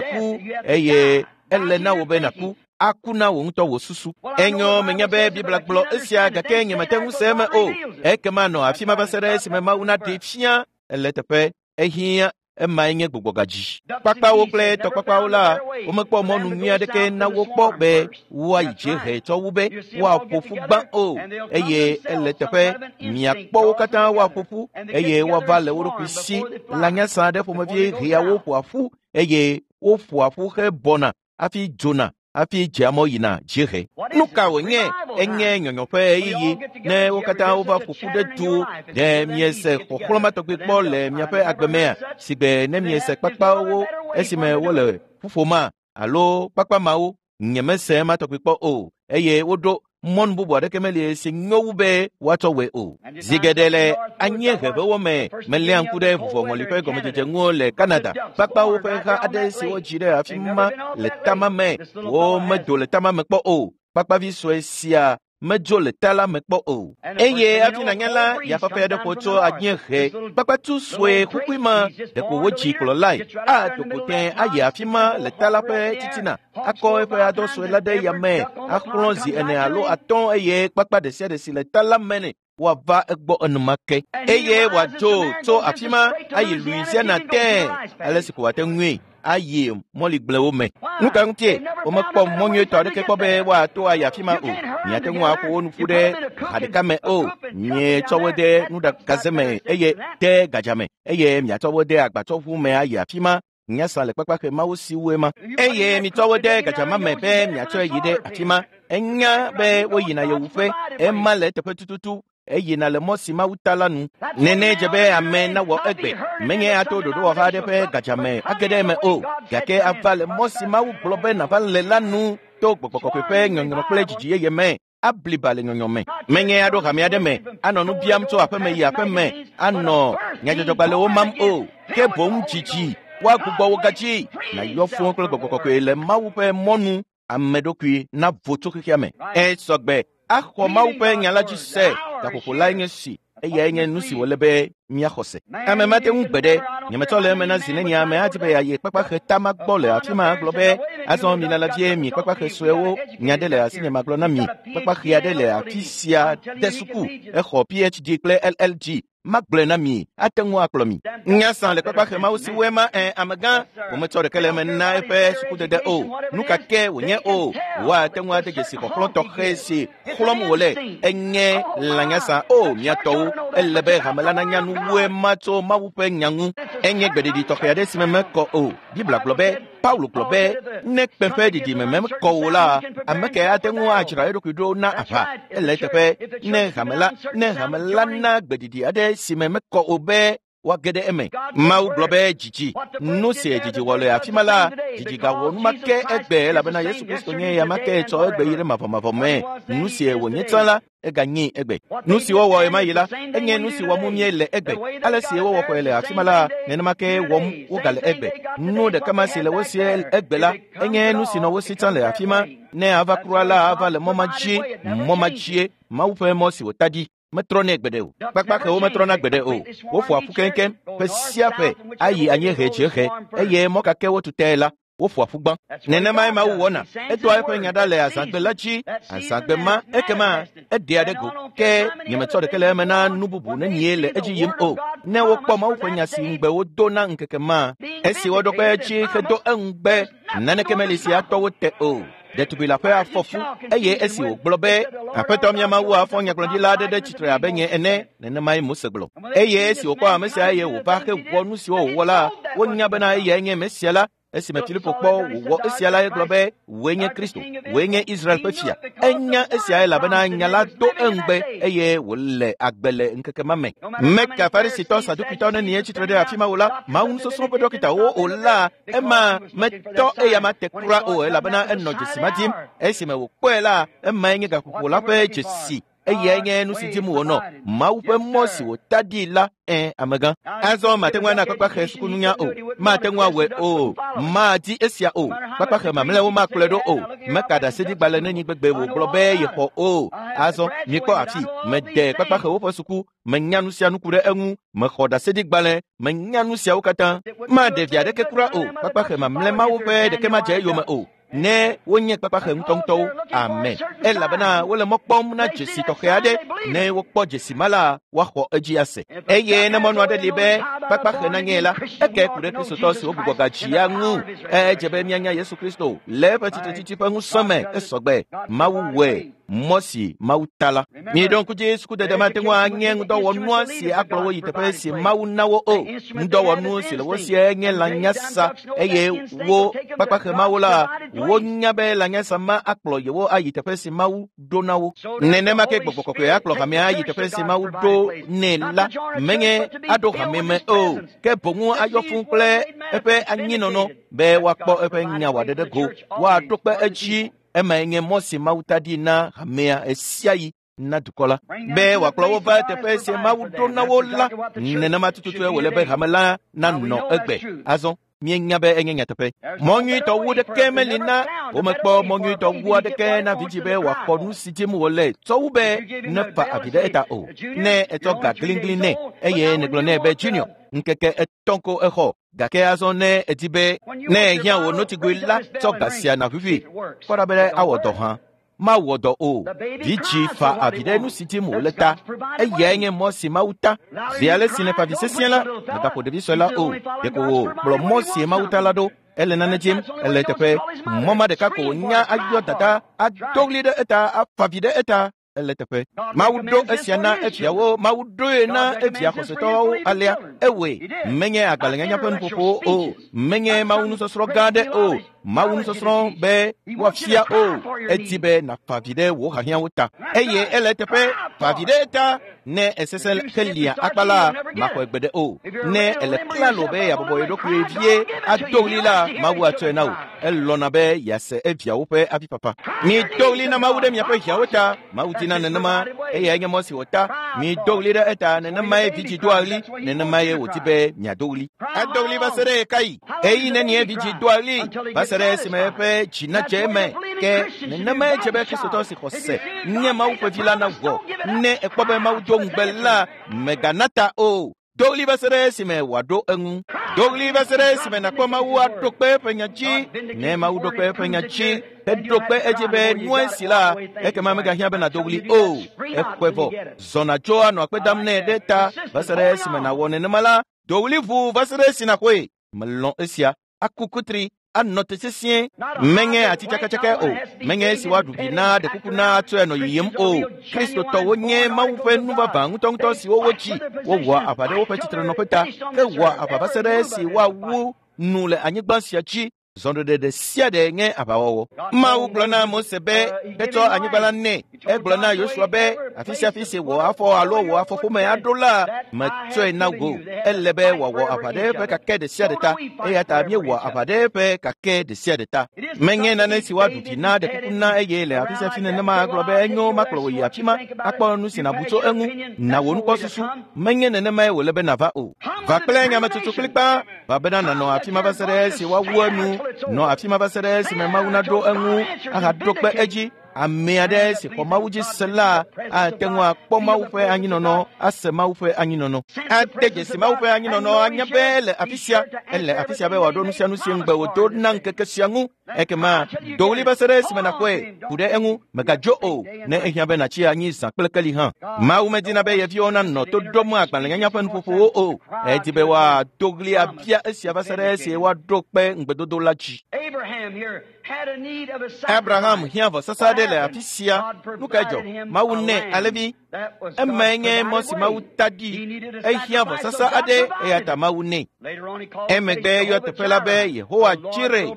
ku eye ele na wò be nàku. Aku na wò ŋutɔ wò susu. Enyo menya be Biblia gblɔ esia gake nyemete ŋu se eme o. Ekema nɔ afi ma va se ɖe esime Mawu naɖee fia ele teƒe. Ehiã emae nye gbugbɔgadzi. Kpakpawo kple tɔkpakpawo la, womekpɔ mɔnu nyui aɖeke na wo kpɔ be woayi dziehe tsɔ wu be woaƒo ƒu gbã o. Eye ele teƒe miakpɔ wo katã woaƒo ƒu eye woava le wo ɖokui si. Lãnyasa aɖe ƒomevi hea wo ƒoa ƒu eye woƒoa ƒu hebɔna hafi dzona hafi dzea mɔ yina dziehe. Nu ka wònye? Enye nyɔnyɔ ƒe ɣeyiɣi ne wo katã wova ƒo ƒu ɖe du. Ɖe miese xɔxlɔ̃ ma tɔgbi kpɔ le miaƒe agbe mea? Sigbe ne miese kpakpawo esime wole ƒuƒoma alo kpakpa mawo, nyemese ema tɔgbi kpɔ o. Eye woɖo mɔnu bubu aɖeke meli si nyo wu be woatsɔ wɔe o. Zi geɖe le anyieheʋewo me meléa ŋku ɖe vuvɔŋɔli ƒe gɔmedzedze ŋu le Canada. Kpakpawo ƒe ha aɖe si wodzi ɖe afi ma le tama me womedo le tama me kpɔ o. Kpakpavi sue sia medzo le ta la me kpɔ o. Eye hafi nànya la, yafafa aɖe ƒo tso anyiehe. Kpakpatu sue kukui ma ɖeko wodzi kplɔlae. Ado go tẽ ayi afi ma le ta la ƒe titina. Akɔ eƒe adɔ sue la ɖe yame, axlɔ̃ zi ene alo atɔ̃ eye kpakpa ɖe sia ɖe si le ta la me nɛ woava egbɔ enumake. Eye wòadzo tso afi ma ayi Louisiana tẽ ale si ko wòate ŋui ayi mɔligblewo me. Nu ka ŋutie womekpɔ mɔ nyuietɔ aɖeke kpɔ be woato ayi afi ma o. Miate ŋu aƒo wo nu ƒu ɖe ha ɖeka me o. Mietsɔ wo de nuɖagaze me eye de gadza me eye miatsɔ wo de agbatsɔʋu me ayi afi ma. Nyasa le kpakpaxe mawo si woe ma. Eye mitsɔ wo de gadza ma me be miatsɔe yi ɖe afi ma. Enya be woyina yewuƒe. Ema le eteƒe tututu. Eyina le mɔ si Mawu ta la nu. Nene dze be ame nawɔ egbe. Menye ato ɖoɖowɔha aɖe ƒe gadza me age ɖe eme o. Gake ava le mɔ si Mawu gblɔ be nàva le la nu to gbɔgbɔ kɔkɔe ƒe nyɔnyrɔ kple dzidzi yeye me. Abliba le nyɔnyɔ me. Menye aɖo hame aɖe me, anɔ nu biam tso aƒeme yi aƒeme, anɔ nyadzɔdzɔgbalẽwo mam o. Ke boŋ dzidzi, woagbugbɔ wo gadzi. Nàyɔ fũu kple gbɔgbɔ kɔkɔe le Mawu ƒe mɔnu ame ɖokui navo tso xexea me. Esɔgbe axɔ Mawu ƒe nya la dzi se. Gaƒoƒo lae nye si. Eyae nye nu si wòle be míaxɔ se. Ame mate ŋu gbe ɖe. Nyemetsɔ le eme na zi neni ame adi be yeayi kpakpaxe tama gbɔ le afi ma agblɔ be azɔ milala vie mi kpakpaxe suewo nya ɖe le asinye magblɔ na mi. Kpakpaxe aɖe le afi sia de suku. Exɔ PhD kple LLD. Magblɔe na mi, ate ŋu akplɔ mi. Nyasa le kpakpaxe mawo si woe ma amegã, wometsɔ ɖeke le eme na eƒe sukudede o. Nu ka ke wònye o, woate ŋu ade dzesi xɔxlɔ̃ tɔxɛ si xlɔ̃m wòle. Enye lãnyasa o, mia tɔwo. Ele be hame la nanya nu woe ma tso Mawu ƒe nya ŋu. Enye gbeɖiɖi tɔxɛ aɖe si me mekɔ o. Biblia gblɔ be, Paulo gblɔ be, ne kpẽ ƒe ɖiɖi me mekɔ o la, ame ke ate ŋu adzra eɖokui ɖo na aʋa. Ele eteƒe ne hame la na gbeɖiɖi aɖe si me mekɔ o be Woage ɖe eme. Mawu gblɔ be dzidzi. Nu si dzidzi wɔ le afi ma la, dzidzi gawɔ enumake egbe elabena Yesu Kristo nye eya ma ke tsɔ egbe yi ɖe mavɔmavɔ me. Nu si wònye tsã la, eganye egbe. Nu si wowɔ ɣemaɣi la, enye nu si wɔm míele egbe. Ale si wowɔ xɔe le afi ma la, nenema ke wɔm wogale egbe. Nu ɖeka ma si le wo si egbe la, enye nu si nɔ wo si tsã le afi ma. Ne ava kura la, ava le mɔ ma dzi, mɔ ma dzie, Mawu ƒe mɔ si wòta ɖi. Metrɔnɛ gbeɖe o. Kpakpaxewo metrɔna gbeɖe o. Woƒoa ƒu keŋkeŋ ƒe sia ƒe ayi anyiehe dziehe eye mɔ ka ke wotu tae la, woƒoa ƒu gbã. Nenemae Mawu wɔna. Edoa eƒe nya ɖa le azãgbe la dzi. Azãgbe ma ekema eɖea ɖe go. Ke nyemetsɔ ɖeke le eme na nu bubu nenie le edzi yim o. Ne wokpɔ Mawu ƒe nya si ŋugbe wodo na ŋkeke ma, esi woɖo kpe edzi hedo eŋugbe, naneke meli si atɔ wo te o. Ɖetugbi la ƒe afɔ fu eye esi wògblɔ be Aƒetɔ mía Mawu afɔ nyagblɔɖila aɖe ɖe tsitre abe nye ene, nenemae Mose gblɔ. Eye esi wòkpɔ ame sia eye wòva hewɔ nu siwo wòwɔ la, wonya bena eyae nye Mesia la. Esime Filipo kpɔ wòwɔ esia la, egblɔ be wòe nye Kristo, wòe nye Israel ƒe fia. Enya esia elabena nya la do eŋugbe eye wòle agbe le ŋkeke ma me. Meka Farisitɔ Sadukitɔ nenie tsitre ɖe afi ma o la, Mawu nusɔsrɔ̃ ƒe ɖɔkitawo o la, ema metɔ eya ma te kura o elabena enɔ dzesi ma dim. Esime wòkpɔe la, emae nye gaƒoƒo la ƒe dzesi. Eyae nye nu si dim wònɔ, Mawu ƒe mɔ si wòta ɖi la. Ẽ, amegã. Azɔ mate ŋu ana kpakpaxe sukununya o. Mate ŋu awɔe o. Madi esia o. Kpakpaxe mamlɛawo makplɔe ɖo o. Meka ɖaseɖigbalẽ nenyi gbegbe wògblɔ be yexɔ o. Azɔ mikpɔ afi. Mede kpakpaxewo ƒe suku. Menya nu sia nu ku ɖe eŋu. Mexɔ ɖaseɖigbalẽ. Menya nu siawo katã. Maɖe vi aɖeke kura o. Kpakpaxe mamlɛ mawo ƒe ɖeke madze eyome o. Ne wonye kpakpaxe ŋutɔŋutɔwo. Amen. Elabena wole mɔ kpɔm na dzesi tɔxɛ aɖe. Ne wokpɔ dzesi ma la, woaxɔ edzi ase. Eye ne mɔnu aɖe li be kpakpaxe nanye la, eke ku ɖe Kristotɔ siwo gbugbɔ gadzi ya ŋu. Edze be míanya Yesu Kristo le eƒe tsitretsitsi ƒe ŋusẽ me esɔgbe. Mawu wɔe mɔ si Mawu ta la. Miɖo ŋku dzi sukudede mate ŋu anye ŋudɔwɔnua si akplɔ wo yi teƒe si Mawu na wo o. Ŋudɔwɔnu si le wo sie nye lãnyasa eye wo kpakpaxe mawo la, wonya be lãnyasa ma akplɔ yewo ayi teƒe si Mawu ɖo na wo. Nenema ke gbɔgbɔ kɔkɔe akplɔ hamea ayi teƒe si Mawu ɖo nɛ la, menye aɖo hame me o, ke boŋu ayɔ fũu kple eƒe anyinɔnɔ be woakpɔ eƒe nya wòaɖe ɖe go, woaɖo kpe edzi. Emae nye mɔ si Mawu ta ɖi na hamea ɣesiaɣi na dukɔ la be wòakplɔ wo va teƒe si Mawu ɖo na wo la. Nenema tututue wòle be hame la nanɔ egbe. Azɔ míenya be enye nyateƒe. Mɔ nyuitɔ wu ɖeke meli na womekpɔ mɔ nyuitɔ wu aɖeke na vidzĩ be wòaxɔ nu si dim wòle tsɔ wu be nefa avi ɖe eta o. Ne etsɔ ga gligli nɛ eye nègblɔ nɛ be Junior, ŋkeke etɔ̃ ko exɔ. Gake azɔ ne edi be ne ehiã wò notigui la, tsɔ ga sia nàʋuʋui. Kpɔ ɖa be awɔ dɔ hã. Mawɔ dɔ o. Vidzĩ fa avi ɖe nu si dim wòle ta. Eyae nye mɔ si Mawu ta. Zi ale si nèfa avi sesĩe la, mègaƒo ɖevi sue la o. Ɖeko wòkplɔ mɔ si Mawu ta la ɖo. Ele nane dim, ele eteƒe. Mɔ ma ɖeka ko wònya ayɔ dada, ado ɣli ɖe eta, afa avi ɖe eta. Ele teƒe. Mawu ɖo esia na eviawo, Mawu ɖoe na evia xɔsetɔwo alea. Ewɔe. Menye agbalẽnyanya ƒe nuƒoƒowo o. Menye Mawu nusɔsrɔ̃ gã aɖe o. Mawu nusɔsrɔ̃ be woafia o. Edi be nàfa avi ɖe wò hiahiãwo ta. Eye ele eteƒe, fa avi ɖe eta. Ne esesẽ helia akpa la, maxɔe gbeɖe o. Ne ele klalo be yeabɔbɔ ye ɖokui vie ado ɣli la, Mawu atsɔe na wò. Elɔ̃na be yease eviawo ƒe avifafa. Mido ɣli na Mawu ɖe miaƒe hiãwo ta. Mawu dina nenema, eyae nye mɔ si wòta. Mido ɣli ɖe eta, nenemae vidzĩ doa ɣli, nenemae wòdi be miado ɣli. Ado ɣli va se ɖe ɣekaɣi? Ɣeyiɣi nenie vidzĩ doa ɣli va se ɖe esime eƒe dzi nadze eme? Ke nenemae dze be Kristotɔ si xɔ se nye Mawu ƒe vi la nawɔ. Ne ekpɔ be Mawu do ŋugbe la, mègana ta o. Do ɣli va se ɖe esime wòaɖo eŋu. Do ɣli va se ɖe esime nàkpɔ Mawu aɖo kpe eƒe nya dzi. Ne Mawu ɖo kpe eƒe nya dzi heɖo kpe edzi be nua esi la, ekema megahiã be nàdo ɣli o. Exɔe vɔ. Zɔ nàdzo anɔ akpe dam nɛ ɖe ta va se ɖe esime nàwɔ nenema la, do ɣli ʋuu va se ɖe esi nàxɔe. Melɔ̃ esia. Aku kutri anɔ te sesĩe. Menye ati tsakatsakae o. Menye esi woaɖu vi na ɖe kuku na atsɔe anɔ yiyim o. Kristotɔwo nye Mawu ƒe nu vavã ŋutɔŋutɔ siwo wotsi. Wowɔa aʋa ɖe woƒe tsitrenɔƒe ta, hewɔa aʋa va se ɖe esi woawu nu le anyigba sia dzi. Zɔɖeɖe ɖe sia ɖe nye aʋawɔwɔ. Mawu gblɔ na Mose be etsɔ anyigba la nɛ. Egblɔ na Yosua be afi sia afi si wò afɔ alo wò afɔƒome aɖo la, metsɔe na wò. Ele be wòawɔ aʋa ɖe eƒe kake ɖe sia ɖe ta. Eya ta míewɔ aʋa ɖe eƒe kake ɖe sia ɖe ta. Menye nane si woaɖu dzi na ɖe kuku na eye le afi sia afi nenema agblɔ be enyo makplɔ wò yi afi ma akpɔ nu si nàbu tso eŋu. Na wò nukpɔsusu. Menye nenemae wòle be nàva o. Va kple nyametsotso kplikpaa. Va bena nànɔ afi ma va se ɖe esi woawu enu. Nɔ afi ma va se ɖe esime Mawu naɖo eŋu ahaɖo kpe edzi. Ame aɖe si xɔ Mawu dzi se la ate ŋu akpɔ Mawu ƒe anyinɔnɔ, ase Mawu ƒe anyinɔnɔ. Ade dzesi Mawu ƒe anyinɔnɔ anya be ele afi sia, ele afi sia be wòaɖo nu sia nu si ŋugbe wòdo na ŋkeke sia ŋu. Ekema do ɣli va se ɖe esime nàkpɔe, ku ɖe eŋu, mègadzo o, ne ehiã be nàtsi anyi zã kple keli hã. Mawu medina be yeviwo nanɔ to ɖom agbalẽnyanya ƒe nuƒoƒowo o. Edi be woado ɣli abia esia va se ɖe esi woaɖo kpe ŋugbedodo la dzi. Abraham hiã vɔsasa aɖe le afi sia. Nu kae dzɔ? Mawu nɛ alẽvi. Emae nye mɔ si Mawu ta ɖi. Ehiã vɔsasa aɖe eya ta Mawu nɛ. Emegbe eyɔ teƒe la be Yehowa Jireh.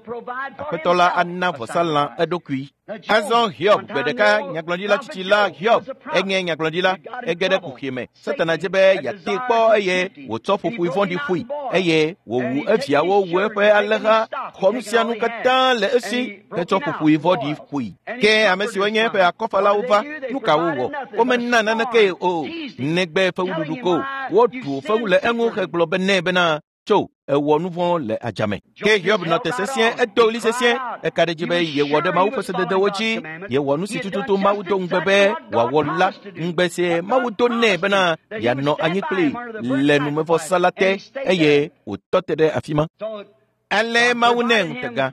Aƒetɔ la ana vɔsalã eɖokui. Azɔ Hiob gbe ɖeka nyagblɔɖila tsitsi la Hiob enye nyagblɔɖila ege ɖe kuxi me. Satana dze be yeatee kpɔ eye wòtsɔ ƒoƒoe vɔ̃ɖi ƒoe eye wòwu eviawo wu eƒe alẽha xɔ nu sia nu katã le esi hetsɔ ƒoƒoe vɔ̃ɖi ƒoe. Ke ame siwo nye eƒe akɔfalawo va, nu ka wowɔ? Womena naneke o, negbe fewuɖuɖu ko. Woɖu fewu le eŋu hegblɔ be nɛ bena tso ewɔ nu vɔ̃ le adzame. Ke Hiob nɔ te sesĩe, edo ɣli sesĩe, eka ɖe edzi be yewɔ ɖe Mawu ƒe sededewo dzi, yewɔ nu si tututu Mawu do ŋugbe be wòawɔ la, ŋugbe si Mawu do nɛ bena yeanɔ anyi kplii le numevɔsa la te eye wòtɔ te ɖe afi ma. Ale Mawu nɛ ŋutega.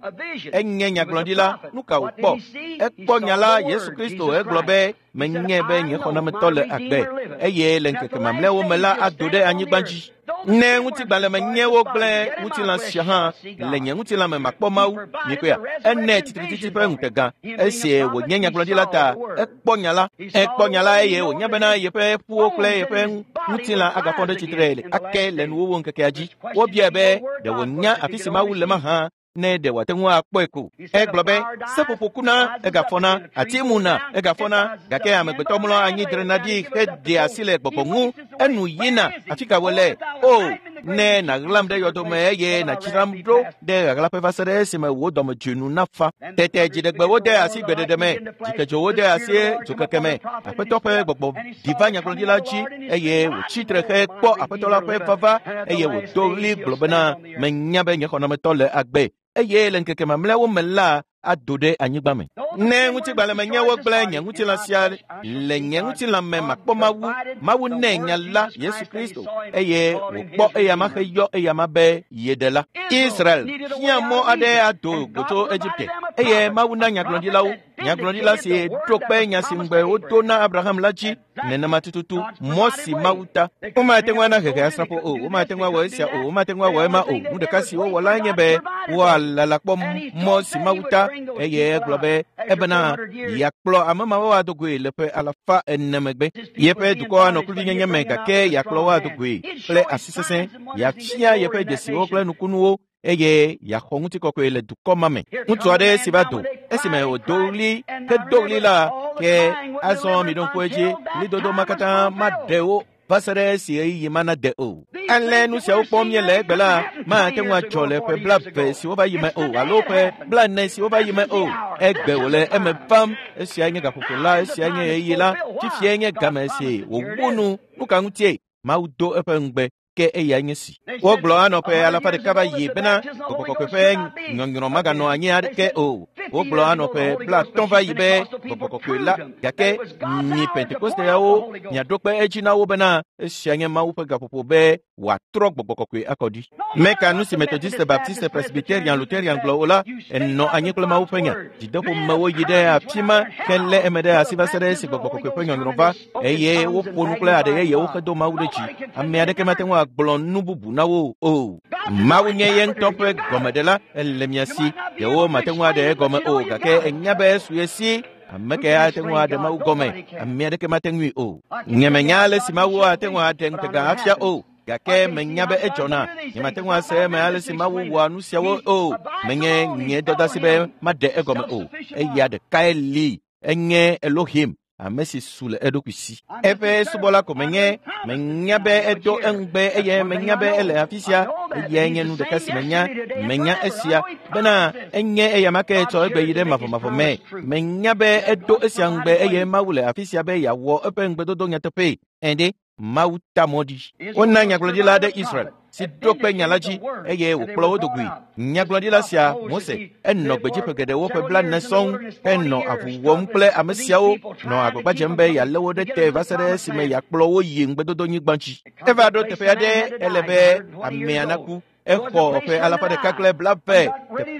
Enye nyagblɔɖila. Nu ka wòkpɔ? Ekpɔ nya la Yesu Kristo egblɔ be menye be nye xɔnametɔ le agbe eye le ŋkeke mamlɛawo me la ado ɖe anyigba dzi. Ne ŋutigbalẽ me nye wogblẽ ŋutilã sia hã le nye ŋutilã me makpɔ Mawu. Mikpɔea? Ene tsitretsitsi ƒe ŋutega. Esi wònye nyagblɔɖila ta, ekpɔ nya la. Ekpɔ nya la eye wònya bena yeƒe ƒuwo kple yeƒe ŋutilã agafɔ ɖe tsitre ake le nuwuwu ŋkekea dzi. Wobiae be ɖe wònya afi si Mawu le mahã ne ɖe wòate ŋu akpɔe ko. Egblɔ be seƒoƒo kuna egafɔna, ati muna egafɔna, gake amegbetɔ mlɔ anyi drena ɖi heɖea asi le gbɔgbɔ ŋu. Enu yina afi ka wòle? O, ne nàɣlam ɖe yɔdome eye nàdzram ɖo ɖe ɣaɣlaƒe va se ɖe esime wò dɔmedzoe nu nafa. Tete dziɖegbewo de asi gbeɖeɖe me, dzikedzowo de asi dzokeke me. Aƒetɔ ƒe gbɔgbɔ ɖi va nyagblɔɖila dzi eye wòtsi tre hekpɔ Aƒetɔ la ƒe vava eye wòdo ɣli gblɔ bena menya be nye xɔnametɔ le agbe eye le ŋkeke mamlɛawo me la ado ɖe anyigba me. Ne ŋutigbalẽ me nye wogblẽ nye ŋutilã sia le nye ŋutilã me makpɔ Mawu. Mawu nɛ nya la Yesu Kristo eye wòkpɔ eyama heyɔ eyama be yeɖela. Israel hiã mɔ aɖe ado go tso Egipte eye Mawu na nyagblɔɖilawo. Nyagblɔɖila si ɖo kpe nya si ŋugbe wodo na Abraham la dzi nenema tututu mɔ si Mawu ta. Womate ŋu ana hehe asrafo o, womate ŋu awɔ esia o, womate ŋu awɔ ema o. Nu ɖeka si wowɔ lae nye be woalala kpɔ mɔ si Mawu ta eye egblɔ be ebena yeakplɔ ame mawo ado goe le ƒe 400 megbe. Yeƒe dukɔ anɔ kluvinyenye me gake yeakplɔ wo ado goe kple asi sesẽ, yeafia yeƒe dzesiwo kple nukunuwo eye yeaxɔ ŋutikɔkɔe le dukɔ ma me. Ŋutsu aɖe si va do esime wòdo ɣli hedo ɣli la, ke azɔ miɖo ŋku edzi, ɣlidodo ma katã maɖe wo va se ɖe esi ɣeyiɣi ma nade o. Ale nu siawo kpɔm míele egbe la mate ŋu adzɔ le ƒe 20 siwo va yi me o alo ƒe 40 siwo va yi me o. Egbe wòle eme vam. Esiae nye gaƒoƒo la, esiae nye ɣeyiɣi la, fifiae nye game si wòwu nu. Nu ka ŋutie? Mawu do eƒe ŋugbe ke eyae nye si. Wogblɔ anɔ ƒe 100 va yi bena gbɔgbɔ kɔkɔe ƒe nyɔnyrɔ maganɔ anyi aɖeke o. Wogblɔ anɔ ƒe 50 va yi be gbɔgbɔ kɔkɔe la, gake mi Pentekosteawo miaɖo kpe edzi na wo bena esia nye Mawu ƒe gaƒoƒo be wòatrɔ gbɔgbɔ kɔkɔe akɔ ɖi. Meka nu si Methodiste, Baptiste, Presbyterian, Lutheran gblɔ o la, enɔ anyi kple Mawu ƒe nya. Dzideƒomewo yi ɖe afi ma helé eme ɖe asi va se ɖe esi gbɔgbɔ kɔkɔe ƒe nyɔnyrɔ va eye woƒo nu kple aɖe yeyewo hedo Mawu ɖe dzi. Ame aɖeke mate ŋu agblɔ nu bubu na wo o. Mawu nye ye ŋutɔ ƒe gɔmeɖela, ele mia si. Ɖewo mate ŋu aɖe egɔme o, gake enya be esu ye si. Ame kae ate ŋu aɖe Mawu gɔme? Ame aɖeke mate ŋui o. Nyemenya ale si Mawu ate ŋu aɖe ŋutega afia o. Gake menya be edzɔna. Nyemate ŋu ase eme ale si Mawu wɔa nu siawo o. Menye nye dɔdeasi be maɖe egɔme o. Eya ɖekae li. Enye Elohim, ame si su le eɖokui si. Eƒe subɔla ko menye. Menya be edo eŋugbe eye menya be ele afi sia. Eyae nye nu ɖeka si menya. Menya esia bena enye eyama ke tsɔ egbe yi ɖe mavɔmavɔ me. Menya be edo esia ŋugbe eye Mawu le afi sia be yeawɔ eƒe ŋugbedodo nyateƒee. Ẽ ɖe Mawu ta mɔ ɖi. Wona nyagblɔɖila aɖe Israel si ɖo kpe nya la dzi eye wòkplɔ wo dogoe. Nyagblɔɖila sia, Mose, enɔ gbedzi ƒe geɖewo ƒe 40 sɔŋ henɔ avu wɔm kple ame siawo, nɔ agbagba dzem be yealé wo ɖe te va se ɖe esime yeakplɔ wo yi ŋugbedodonyigba dzi. Eva ɖo teƒe aɖe ele be amea naku. Exɔ ƒe 120.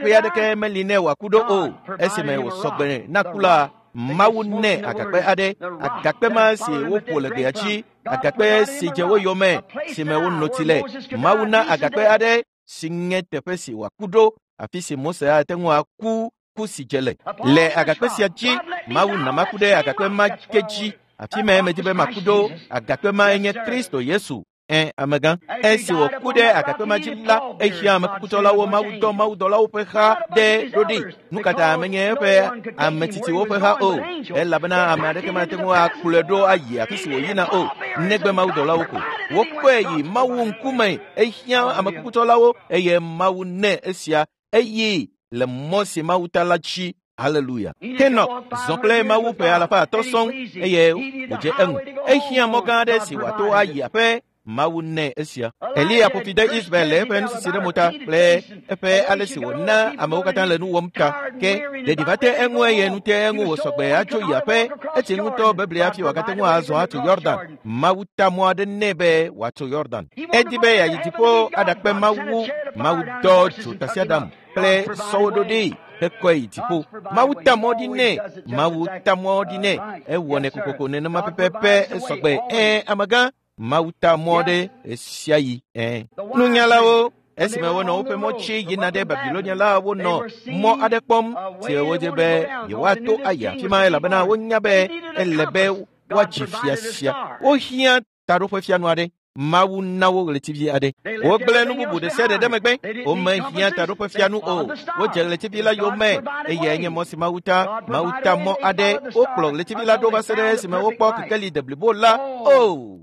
Teƒe aɖeke meli nɛ wòaku ɖo o. Esime wòsɔ gbe na ku la, Mawu nɛ agakpe aɖe, agakpe ma si woƒo le gbea dzi, agakpe si dze wo yome, si me wonɔ tsi le. Mawu na agakpe aɖe si nye teƒe si wòaku ɖo, afi si Mose ate ŋu aku ku si dze le. Le agakpe sia dzi, Mawu na maku ɖe agakpe ma ke dzi. Afi mae medi be maku ɖo. Agakpe mae nye Kristo Yesu. Ẽ, amegã. Esi wòku ɖe agakpe ma dzi la, ehiã amekukutɔlawo, Mawu dɔ mawudɔlawo ƒe ha ɖe ɖo ɖi. Nu ka ta menye eƒe ametsitsiwo ƒe ha o? Elabena ame aɖeke mate ŋu akplɔe ɖo ayi afi si wòyina o, negbe mawudɔlawo ko. Wokpɔe yi Mawu ŋkume, ehiã amekukutɔlawo eye Mawu nɛ esia eye le mɔ si Mawu ta la dzi. Haleluya. Henok zɔ kple Mawu ƒe 500 sɔŋ eye wòdze eŋu. Ehiã mɔ gã aɖe si wòato ayi aƒe. Mawu nɛ esia. Eliya ƒo fi de Israel le eƒe nusisi ɖe mo ta kple eƒe ale si wòna amewo katã le nu wɔm ta. Ke ɖeɖi va te eŋu eye nu te eŋu wòsɔ gbe atso yi aƒe. Etsi ŋutɔ bebli hafi wòagate ŋu azɔ atso Yordan. Mawu ta mɔ aɖe nɛ be wòatso Yordan. Edi be yeayi dziƒo aɖakpe Mawu. Mawu dɔ dzo tasiaɖam kple sɔwo ɖo ɖi hekɔe yi dziƒo. Mawu ta mɔ ɖi nɛ. Mawu ta mɔ ɖi nɛ. Ewɔnɛ kokoko nenema pɛpɛpɛ esɔ gbe. Ẽ, amegã. Mawu ta mɔ ɖe esia yi. Ẽ. Nunyalawo, esime wonɔ woƒe mɔ tsi yina ɖe Babilonia la, wonɔ mɔ aɖe kpɔm si wodze be yewoato ayi afi ma elabena wonya be ele be woadzi fia sia. Wohiã taɖoƒefianu aɖe. Mawu na wo ɣletivi aɖe. Wogblẽ nu bubu ɖe sia ɖe ɖe megbe. Womehiã taɖoƒefianu o. Wodze ɣletivi la yome eyae nye mɔ si Mawu ta. Mawu ta mɔ aɖe. Wokplɔ ɣletivi la ɖo va se ɖe esime wokpɔ kekeli deblibo la. O!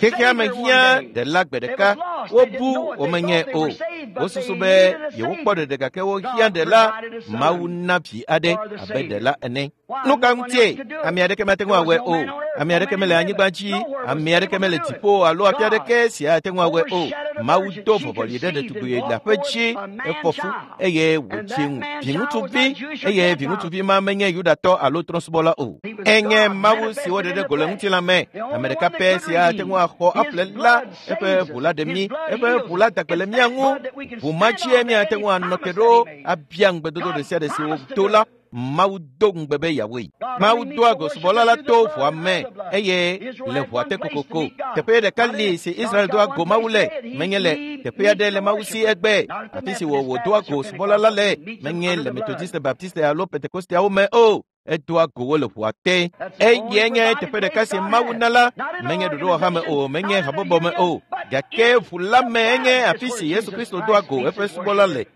Xexea me hiã ɖela gbe ɖeka. Wobu womenye o. Wosusu be yewokpɔ ɖeɖe gake wohiã ɖela. Mawu na vi aɖe abe ɖela ene. Nu ka ŋutie? Ame aɖeke mate ŋu awɔe o. Ame aɖeke mele anyigba dzi, ame aɖeke mele dziƒo alo afi aɖeke si ate ŋu awɔe o. Mawu do vɔvɔli ɖe ɖetugbui leaƒe dzi, efɔ fu eye wòdzi ŋu viŋutsuvi eye viŋutsuvi ma menye Yudatɔ alo trɔ̃subɔla o. Enye Mawu si woɖe ɖe go le ŋutilã me. Ame ɖeka pɛ si ate ŋu axɔ aƒle la, eƒe ʋu la ɖe mí, eƒe ʋu la da gbe le mía ŋu. Ʋu ma dzie míate ŋu anɔ te ɖo abia ŋugbedodo ɖe sia ɖe si wodo la. Mawu do ŋugbe be yeawɔe. Mawu doa go subɔla la to ʋua me eye le ʋua te kokoko. Teƒe ɖeka li si Israel doa go Mawu le, menye le teƒe aɖe le Mawu si egbe, afi si wòdoa go subɔla la le, menye le Methodiste, Baptiste alo Pentekosteawo me o. Edoa go wo le ʋua te. Eyae nye teƒe ɖeka si Mawu na la, menye ɖoɖowɔha me o, menye habɔbɔ me o, gake ʋu la me enye afi si Yesu Kristo doa go eƒe subɔla le.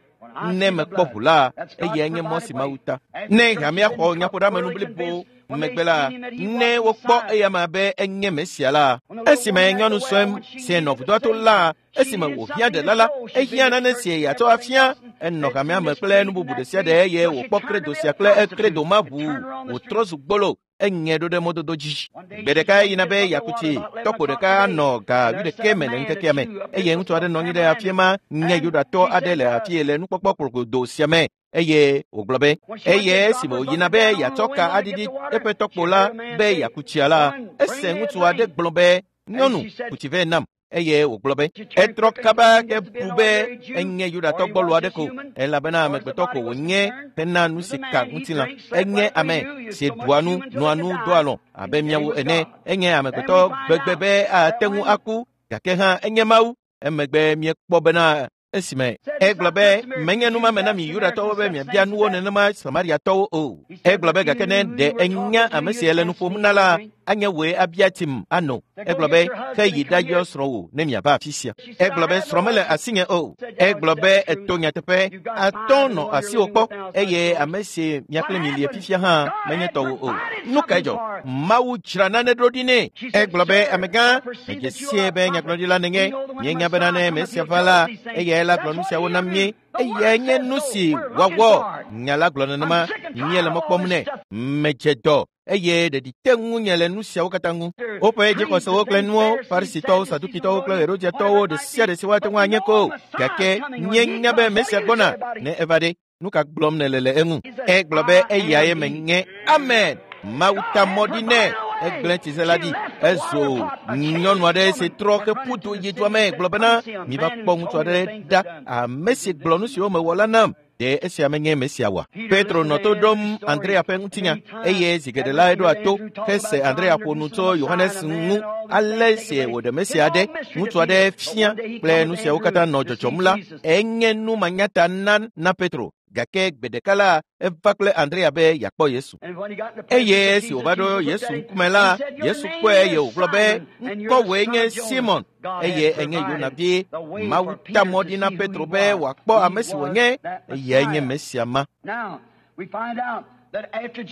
Ne mekpɔ ʋu la, eyae nye mɔ si Mawu ta. Ne hamea xɔ nyaƒoɖeamenu blibo megbe la, ne wokpɔ eyama be enye Mesia la, esime nyɔnu sue si nɔ vudoa to la, esime wòhiã ɖela la, ehiã nane si yeatsɔ afia. Enɔ hamea me kple nu bubu ɖe sia ɖe eye wòkpɔ kredo sia kple kredo ma ʋu wòtrɔ zu gbolo. Eŋe ɖo ɖe mɔdodo dzi. Gbe ɖeka eyina be yeaku tsi. Tɔkpo ɖeka nɔ ga 11 me le ŋkekea me eye ŋutsu aɖe nɔ anyi ɖe afi ma nye Yudatɔ aɖe le afi le nukpɔkpɔ kplogodo sia me eye wògblɔ be eye esime wòyina be yeatsɔ ka aɖiɖi eƒe tɔkpo la be yeaku tsia la, ese ŋutsu aɖe gblɔ be, nyɔnu, ku tsi vɛ nam. Eye wògblɔ be etrɔ kaba ke bu be enye Yudatɔ gbɔlo aɖe ko, elabena amegbetɔ ko wònye hena nu si ka ŋutilã. Enye ame si ɖua nu, noa nu, doa alɔ abe míawo ene. Enye amegbetɔ gbegbe be ate ŋu aku, gake hã enye Mawu. Emegbe míekpɔ bena esime egblɔ be menye numame na mi Yudatɔwo be miabia nuwo nenema Samariatɔwo o. Egblɔ be gake ne ɖe enya ame si le nu ƒom na la, Anye wòe abia tim ano. Egblɔ be, ke yi ɖayɔ srɔ̃wò ne miava afi sia. Egblɔ be, srɔ̃ mele asinye o. Egblɔ be, eto nyateƒe, atɔ nɔ asiwò kpɔ eye ame si mia kple mi lie fifia hã menye tɔwò o. Nu kae dzɔ? Mawu dzra nane ɖo ɖi nɛ. Egblɔ be, amegã, medze sie be nyagblɔɖila nènye. Míenya bena ne Mesia va la, eyae la gblɔ nu siawo na mí. Eyae nye nu si wòawɔ. Nya la gblɔ nenema, míele mɔ kpɔm nɛ. Medze dɔ eye ɖeɖi te ŋunye le nu siawo katã ŋu. Woƒe dzixɔsewo kple nuwo, Farisitɔwo, Sadukitɔwo kple Herodiatɔwo ɖe sia ɖe si woate ŋu anye ko. Gake míenya be Mesia gbɔna ne eva ɖe. Nu ka gblɔm nèle le eŋu? Egblɔ be eyae menye. Amen. Mawu ta mɔ ɖi nɛ. Egblẽ tsize la ɖi. Ezo nyɔnu aɖe si trɔ heƒu du yi dua me gblɔ bena, miva kpɔ ŋutsu aɖe ɖa, ame si gblɔ nu siwo mewɔ la nam. Ɖe esia menye Mesia oa? Petro nɔ to ɖom Andrea ƒe ŋutinya eye zi geɖe la eɖoa to hese Andrea ƒo nu tso Yohanes ŋu ale si wòɖe Mesia aɖe, ŋutsu aɖe fia kple nu siawo katã nɔ dzɔdzɔm la, enye nu manyata na Petro. Gake gbe ɖeka la, eva kple Andrea be yeakpɔ Yesu. Eye esi wòva ɖo Yesu ŋkume la, Yesu kpɔe eye wògblɔ be, ŋkɔwòe nye Simon, eye enye Yona vi. Mawu ta mɔ ɖi na Petro be wòakpɔ ame si wònye, eyae nye Mesia ma.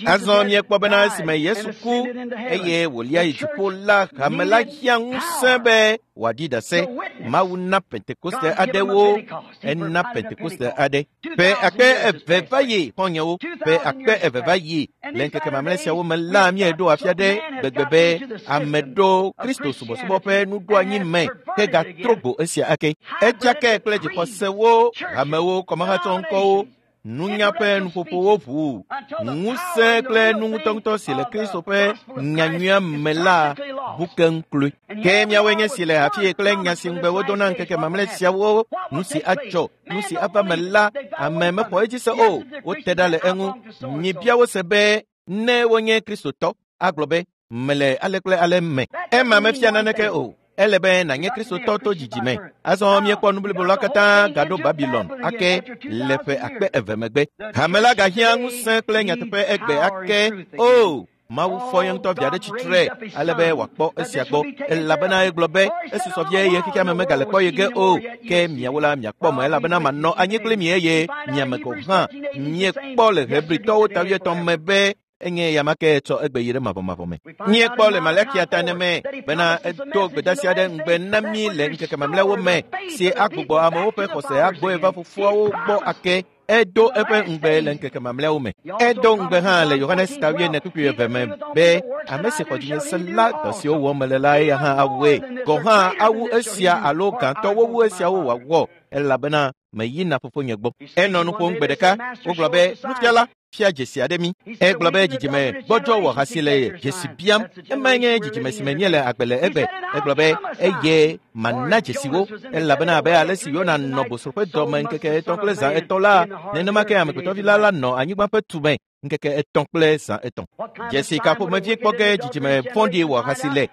Azɔ míekpɔ bena esime Yesu ku eye wòlia yi dziƒo la, hame la hiã ŋusẽ be wòaɖi ɖase. Mawu na Pentekoste aɖewo, ena Pentekoste aɖe. Ƒe akpe eve va yi, xɔ̃nyewo, ƒe akpe eve va yi. Le ŋkeke mamlɛ siawo me la, míeɖo afia ɖe gbegbe be ame ɖo Kristo subɔsubɔ ƒe nuɖoanyi me ke gatrɔ go esia ake. Edzake kple dzixɔsewo, hamewo, kɔmahatsɔŋkɔwo, nunya ƒe nuƒoƒowo ʋu, ŋusẽ kple nu ŋutɔŋutɔ si le Kristo ƒe nyanyuia me la bu keŋ kloe. Ke míawoe nye si le afii kple nya si ŋugbe wodo na ŋkeke mamlɛ siawo, nu si adzɔ, nu si ava me la, ame mexɔ edzi se o, wote ɖa le eŋu. Mibia wo se be ne wonye Kristotɔ, agblɔ be, mele ale kple ale me. Ema mefia naneke o. Ele be nànye Kristotɔ to dzidzime. Azɔ míekpɔ nu blibo la katã gaɖo Babilon ake le ƒe akpe eve megbe. Hame la gahiã ŋusẽ kple nyateƒe egbe ake. O, Mawu fɔ ye ŋutɔ via ɖe tsitre ale be wòakpɔ esia gbɔ. Elabena egblɔ be, esusɔ vie eye xexea me megale kpɔ ye ge o. Ke miawo la miakpɔ me elabena manɔ anyi kpli mi eye miame gɔ̃ hã. Miekpɔ le Hebritɔwo ta wuietɔ̃ me be enye ya ma ke tsɔ egbe yi ɖe mavɔmavɔ me. Míekpɔ le Malakia ta ne me bena edo gbedeasi aɖe ŋugbe na mí le ŋkeke mamlɛawo me si agbugbɔ amewo ƒe xɔse agbɔe va fofoawo gbɔ ake. Edo eƒe ŋugbe le ŋkeke mamlɛawo me. Edo ŋugbe hã le Yohanes ta wuiene kpukpui eve me be ame si xɔ dzinye se la, dɔ siwo wɔm mele la eya hã awɔe. Gɔ̃ hã awu esia alo gãtɔwo wu esiawo wòawɔ elabena meyina fofonye gbɔ. Enɔ nu ƒom gbe ɖeka, wogblɔ be, nufiala, fia dzesi aɖe mí. Egblɔ be dzidzime gbɔdzɔ wɔ hasi le dzesi biam. Emae nye dzidzime si me míele agbe le egbe. Egblɔ be eye mana dzesiwo elabena abe ale si Yona nɔ bosro ƒe dɔme ŋkeke etɔ̃ kple zã etɔ̃ la, nenema ke amegbetɔvi la la nɔ anyigba ƒe tume ŋkeke etɔ̃ kple zã etɔ̃. Dzesi ka ƒomevi kpɔ ge dzidzime vɔ̃ɖi wɔ hasi le?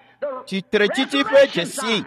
Tsitretsitsi ƒe dzesi.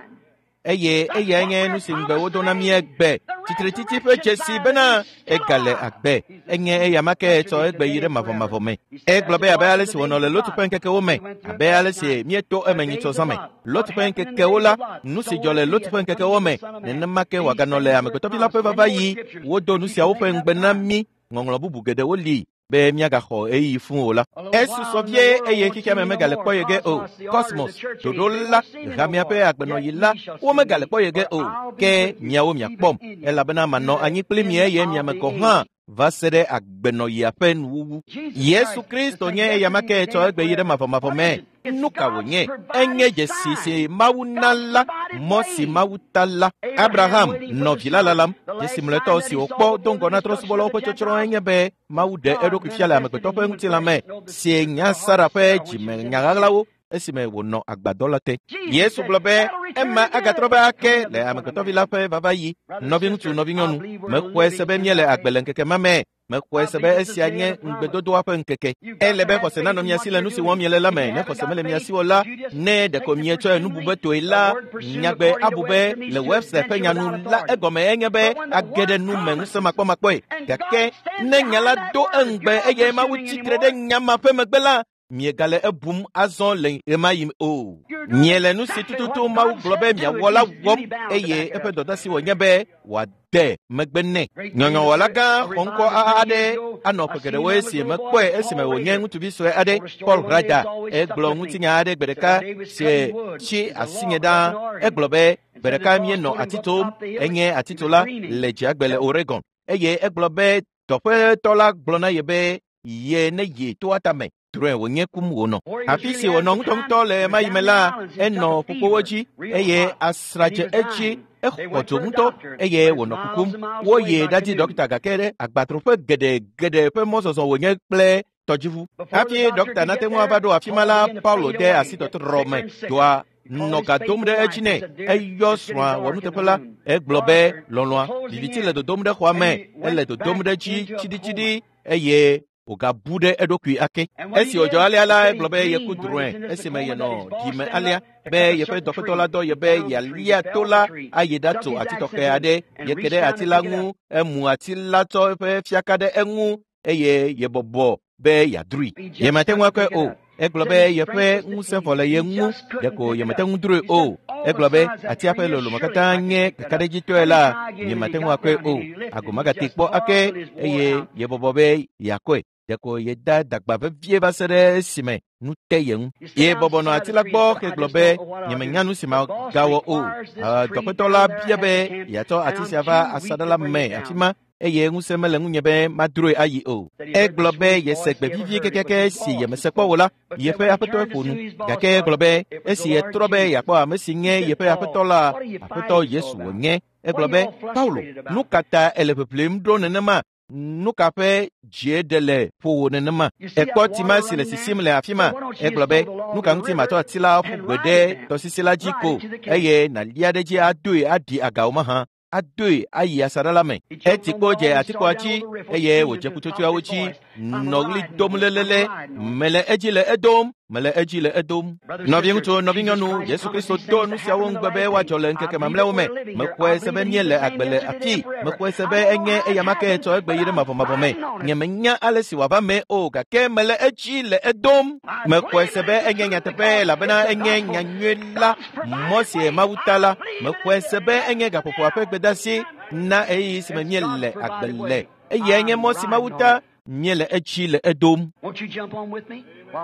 Eye eyae nye nu si ŋugbe wodo na mí egbe. Tsitretsitsi ƒe dzesi bena egale agbe. Enye eya ma ke tsɔ egbe yi ɖe mavɔmavɔ me. Egblɔ be abe ale si wònɔ le Lot ƒe ŋkekewo me, abe ale si míeto eme nyitsɔ zã me. Lot ƒe ŋkekewo la, nu si dzɔ le Lot ƒe ŋkekewo me, nenema ke wòaganɔ le amegbetɔvi la ƒe vava yi. Wodo nu siawo ƒe ŋugbe na mí. Ŋɔŋlɔ bubu geɖewo li be míagaxɔ ɣeyiɣi fũu o la. Esusɔ vie eye xexea me megale kpɔ ye ge o. Kosmos, ɖoɖo la, hamea ƒe agbenɔɣi la, womegale kpɔ ye ge o. Ke miawo miakpɔm, elabena manɔ anyi kpli mi eye miame gɔ̃ hã va se ɖe agbenɔɣia ƒe nuwuwu. Yesu Kristo nye eya ma ke tsɔ egbe yi ɖe mavɔmavɔ me. Nu ka wònye? Enye dzesi si Mawu na la, mɔ si Mawu ta la. Abraham nɔ vi la lalam. Dzesi mlɔetɔ si wòkpɔ do ŋgɔ na trɔ̃subɔlawo ƒe tsɔtsrɔ̃ enye be Mawu ɖe eɖokui fia le amegbetɔ ƒe ŋutilã me si nya Sara ƒe dzime nya ɣaɣlawo esime wònɔ agbadɔ la te. Yesu gblɔ be ema agatrɔ be ake le amegbetɔvi la ƒe vava yi. Nɔviŋutsu, nɔvinyɔnu, mexɔe se be míele agbe le ŋkeke ma me. Mexɔe se be esia nye ŋugbedodoa ƒe ŋkeke. Ele be xɔse nanɔ mia si le nu si wɔm miele la me. Ne xɔse mele mia si o la, ne ɖeko mietsɔe nu bu be toe la, nyagbe abu be le Webster ƒe nyanu la egɔme enye be age ɖe nu me ŋusẽ makpɔmakpɔe. Gake ne nya la do eŋugbe eye Mawu tsitre ɖe nya ma ƒe megbe la, Miegale ebum azɔ le ɣemaɣi o. Miele nu si tututu Mawu gblɔ be miawɔ la wɔm eye eƒe dɔdeasi wònye be wòade megbe nɛ. Nyɔnyɔwɔla gã xɔŋkɔ aɖe anɔ ƒe geɖewo esi mekpɔe esime wònye ŋutsuvi sue aɖe, Paul Rader. Egblɔ ŋutinya aɖe gbe ɖeka si tsi asinye ɖaa. Egblɔ be gbe ɖeka míenɔ ati tom, enye atitola le dziagbe le Oregon. Eye egblɔ be dɔƒetɔ la gblɔ na ye be ye ne yi toa tame. Drɔ̃e wònye kum wònɔ. Afi si wònɔ ŋutɔŋutɔ le ɣemaɣi me la, enɔ ƒukpowo dzi eye asra dze edzi. Exɔ dzo ŋutɔ eye wònɔ kukum. Woyi ɖadi ɖɔkita gake ɖe agbatroƒe geɖe ƒe mɔzɔzɔ wònye kple tɔdziʋu. Hafi ɖɔkita nate ŋu ava ɖo afi ma la, Paulo de asi tɔtrɔ me. Dɔa nɔ ga dom ɖe edzi nɛ. Eyɔ srɔ̃a wɔnuteƒe la. Egblɔ be lɔlɔ̃a, viviti le dodom ɖe xɔa me, ele dodom ɖe edzi tsiɖitsiɖi eye wògabu ɖe eɖokui ake. Esi wòdzɔ alea la, egblɔ be yeku drɔ̃e esime yenɔ ɖime alea be yeƒe dɔƒetɔ la dɔ ye be yealia to la ayi ɖatso ati tɔxɛ aɖe. Yeke ɖe ati la ŋu, emu ati la tsɔ eƒe fiaka ɖe eŋu eye yebɔbɔ be yeadroe. Yemate ŋu akɔe o. Egblɔ be yeƒe ŋusẽ vɔ le ye ŋu, ɖeko yemate ŋu droe o. Egblɔ be atia ƒe lolome katã nye kakaɖedzitɔe la, nyemate ŋu akɔe o. Ago magate kpɔ ake eye yebɔbɔ be yeakɔe. Ɖeko yeda dagba vevie va se ɖe esime nu te ye ŋu. Ye bɔbɔ nɔ ati la gbɔ hegblɔ be nyemenya nu si magawɔ o. Dɔƒetɔ la bia be yeatsɔ ati sia va asaɖa la me afi ma eye ŋusẽ mele ŋunye be madroe ayi o. Egblɔ be yese gbe vivi kekeake si yemese kpɔ o la, yeƒe aƒetɔe ƒo nu. Gake egblɔ be esi yetrɔ be yeakpɔ ame si nye yeƒe aƒetɔ la, Aƒetɔ Yesu wònye. Egblɔ be, Paulo, nu ka ta èle ʋeʋlim ɖo nenema? Nu ka ƒe dzie ɖe le ƒowò nenema? Èkpɔ tima si le sisim le afi ma. Egblɔ be, nu ka ŋuti màtsɔ ati la ƒu gbe ɖe tɔsisi la dzi ko eye nàlia ɖe edzi adoe aɖi agawo mahã? Adoe ayi asaɖa la me. Eti kpo dze atikpoa dzi eye wòdze ƒutsotsoeawo dzi nɔ ɣli dom lelele. Mele edzi le edom, mele edzi le edom. Nɔviŋutsu, nɔvinyɔnu, Yesu Kristo do nu siawo ŋugbe be woadzɔ le ŋkeke mamlɛawo me. Mexɔe se be míele agbe le afii. Mexɔe se be enye eyama ke tsɔ egbe yi ɖe mavɔmavɔ me. Nyemenya ale si wòava mee o, gake mele edzi le edom. Mexɔe se be enye nyateƒe elabena enye nyanyui la, mɔ si Mawu ta la. Mexɔe se be enye gaƒoƒoa ƒe gbedeasi na ɣeyiɣi si me míele agbe le. Eyae nye mɔ si Mawu ta míele edzi le edom.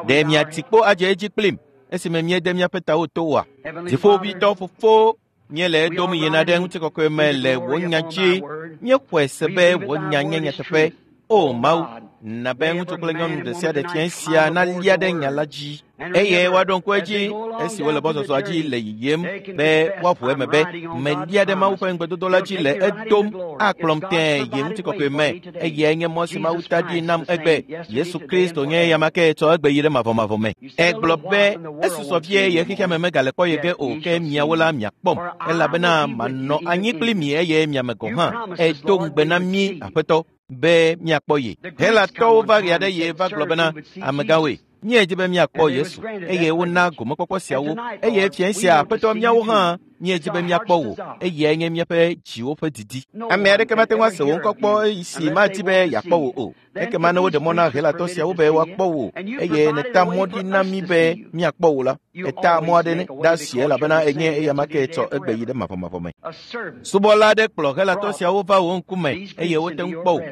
Ɖe miati kpo adze edzi kplim esime míede míaƒe tawo to oa? Dziƒoʋĩtɔ Fofo, míele edom yina ɖe ŋutikɔkɔe me le wò nya dzi. Míexɔe se be wò nya nye nyateƒe. O Mawu, na be ŋutsu kple nyɔnu ɖe sia ɖe fiẽ sia nalia ɖe nya la dzi eye woaɖo ŋku edzi esi wole mɔzɔzɔa dzi le yiyim be woaʋu eme be melia ɖe Mawu ƒe ŋugbedodo la dzi le edom akplɔm tẽe yi ŋutikɔkɔe me. Eyae nye mɔ si Mawu ta ɖi nam egbe. Yesu Kristo nye eyama ke tsɔ egbe yi ɖe mavɔmavɔ me. Egblɔ be esusɔ vie ye xexea me megale kpɔ ye ge o, ke miawo la miakpɔm elabena manɔ anyi kpli mi eye miame gɔ̃ hã. Edo ŋugbe na mí, Aƒetɔ, be míakpɔ ye. Helatɔwo va ɣe aɖe ye va gblɔ bena, amegãwoe, míedi be míakpɔ Yesu, eye wona gomekpɔkpɔ siawo. Eye fiẽ sia, Aƒetɔ, míawo hã míedi be míakpɔ wò, eyae nye míaƒe dziwo ƒe didi. Ame aɖeke mate ŋu ase wò ŋkɔ kpɔ si madi be yeakpɔ wò o. Ekema ne woɖe mɔ na Helatɔ siawo be woakpɔ wò eye nèta mɔ ɖi na mí be míakpɔ wò la, èta mɔ aɖe ɖe asi elabena enye eyama ke tsɔ egbe yi ɖe mavɔmavɔ me. Subɔla aɖe kplɔ Helatɔ siawo va wò ŋkume eye wote ŋu kpɔ wò.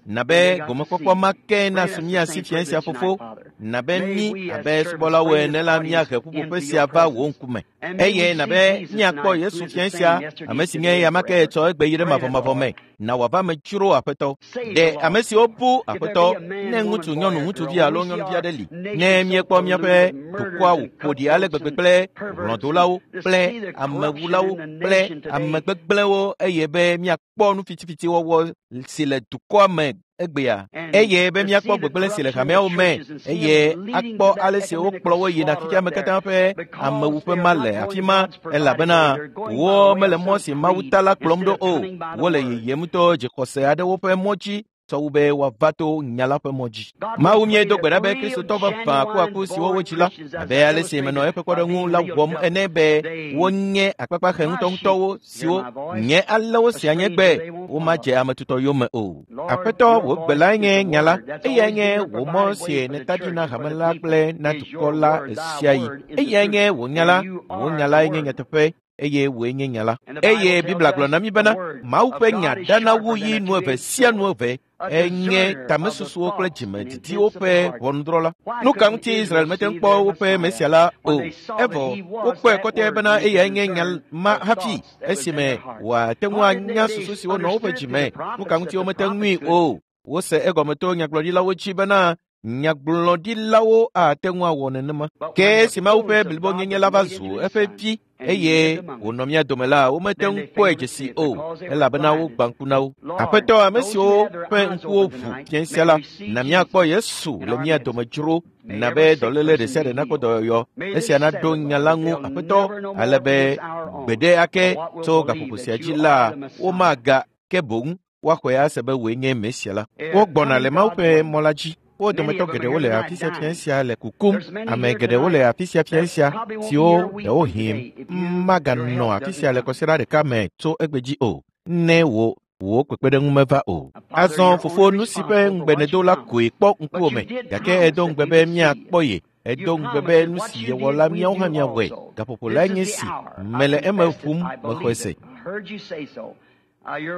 Na be gomekpɔkpɔ ma ke nasu mía si fiẽ sia, Fofo. Na be mí abe subɔlawo ene la míahe ƒuƒoƒe sia va wò ŋkume. Eye na be míakpɔ Yesu fiẽ sia, ame si nye eyama ke tsɔ egbe yi ɖe mavɔmavɔ me. Na wòava me dzro, Aƒetɔ. Ɖe ame siwo bu Aƒetɔ, ne ŋutsu, nyɔnu, ŋutsuvi alo nyɔnuvi aɖe li, ne míekpɔ míaƒe dukɔa wòƒo ɖi ale gbegbe kple hlɔ̃dolawo, kple amewulawo, kple ame gbegblẽwo eye be míakpɔ nu fitifitiwɔwɔ si le dukɔa me egbea, eye be míakpɔ gbegblẽ si le hameawo me, eye akpɔ ale si wokplɔ wo yina xexea me katã ƒe amewuƒe ma le afi ma, elabena wo mele mɔ si Mawu ta la kplɔm ɖo o. Wole yiyim to dzixɔse aɖewo ƒe mɔ dzi. tsɔ wu be woava to nya la ƒe mɔ dzi. Mawu míedo gbe ɖa be Kristotɔ vavã akuaku siwo wodzi la, abe ale si menɔ eƒe kpɔɖeŋu la wɔm ene be wonye akpakpaxe ŋutɔŋutɔwo siwo nye alewo sia nye gbe womadze ame tutɔ yome o. Aƒetɔ, wò gbe lae nye nya la, eyae nye wò mɔ si nèta ɖi na hame la kple na dukɔ la ɣesiaɣi. Eyae nye wò nya la, wò nya lae nye nyateƒe eye wòe nye nya la. Eye Biblia gblɔ na mí bena Mawu ƒe nya dana wu yi nu eve sia nu eve enye tamesusuwo kple dzimedidiwo ƒe ʋɔnudrɔ̃la. Nu ka ŋuti Israel mete ŋu kpɔ woƒe Mesia la o? Evɔ wokpɔe kɔtɛ bena eyae nye nya ma hafi esime wòate ŋu anya susu siwo nɔ woƒe dzime. Nu ka ŋuti womete ŋui o? Wose egɔme to nyagblɔɖilawo dzi bena nyagblɔɖilawo ate ŋu awɔ nenema. Ke esi Mawu ƒe blibonyenye la va zu eƒe vi eye wònɔ mía dome la, womete ŋu kpɔe dzesi o, elabena wogbã ŋku na wo. Aƒetɔ, ame siwo ƒe ŋkuwo ʋu fiẽ sia la, na míakpɔ Yesu le mía dome dzro, na be dɔléle ɖe sia ɖe nakpɔ dɔyɔyɔ. Esia naɖo nya la ŋu, Aƒetɔ, ale be gbeɖe ake tso gaƒoƒo sia dzi la, womaga ke boŋ woaxɔe ase be wòe nye Mesia la. Wogbɔna le Mawu ƒe mɔ la dzi. Wo dometɔ geɖewo le afi sia fiẽ sia le kukum. Ame geɖewo le afi sia fiẽ sia siwo ɖewohĩ maganɔ afi sia le kɔsiɖa ɖeka me tso egbe dzi o, ne wò kpekpeɖeŋu meva o. Azɔ fofo, nu si ƒe ŋugbe nèdo la koe kpɔ ŋkuwò me, gake edo ŋugbe be míakpɔ ye. Edo ŋugbe be nu si yewɔ la míawo hã míawɔe. Gaƒoƒo lae nye esi mele eme ʋum mexɔe se.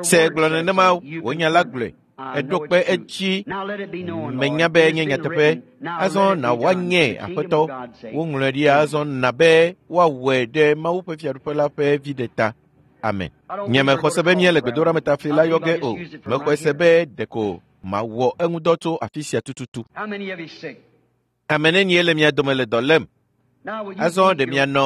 Se gblɔ nenema wò nya la gblɔe. Eɖo kpe edzi menya be nye nyateƒe. Azɔ na woanye Aƒetɔ. Woŋlɔe ɖi azɔ na be woawɔe ɖe Mawu ƒe fiaɖuƒe la ƒe viɖe ta. Amen. Nye mexɔ se be míele gbedoɖametafli la yɔ ge o. Mexɔe se be ɖeko mawɔ eŋudɔ tso afi sia tututu. Ame nenie le mia dome le dɔ lém? Azɔ ɖe mianɔ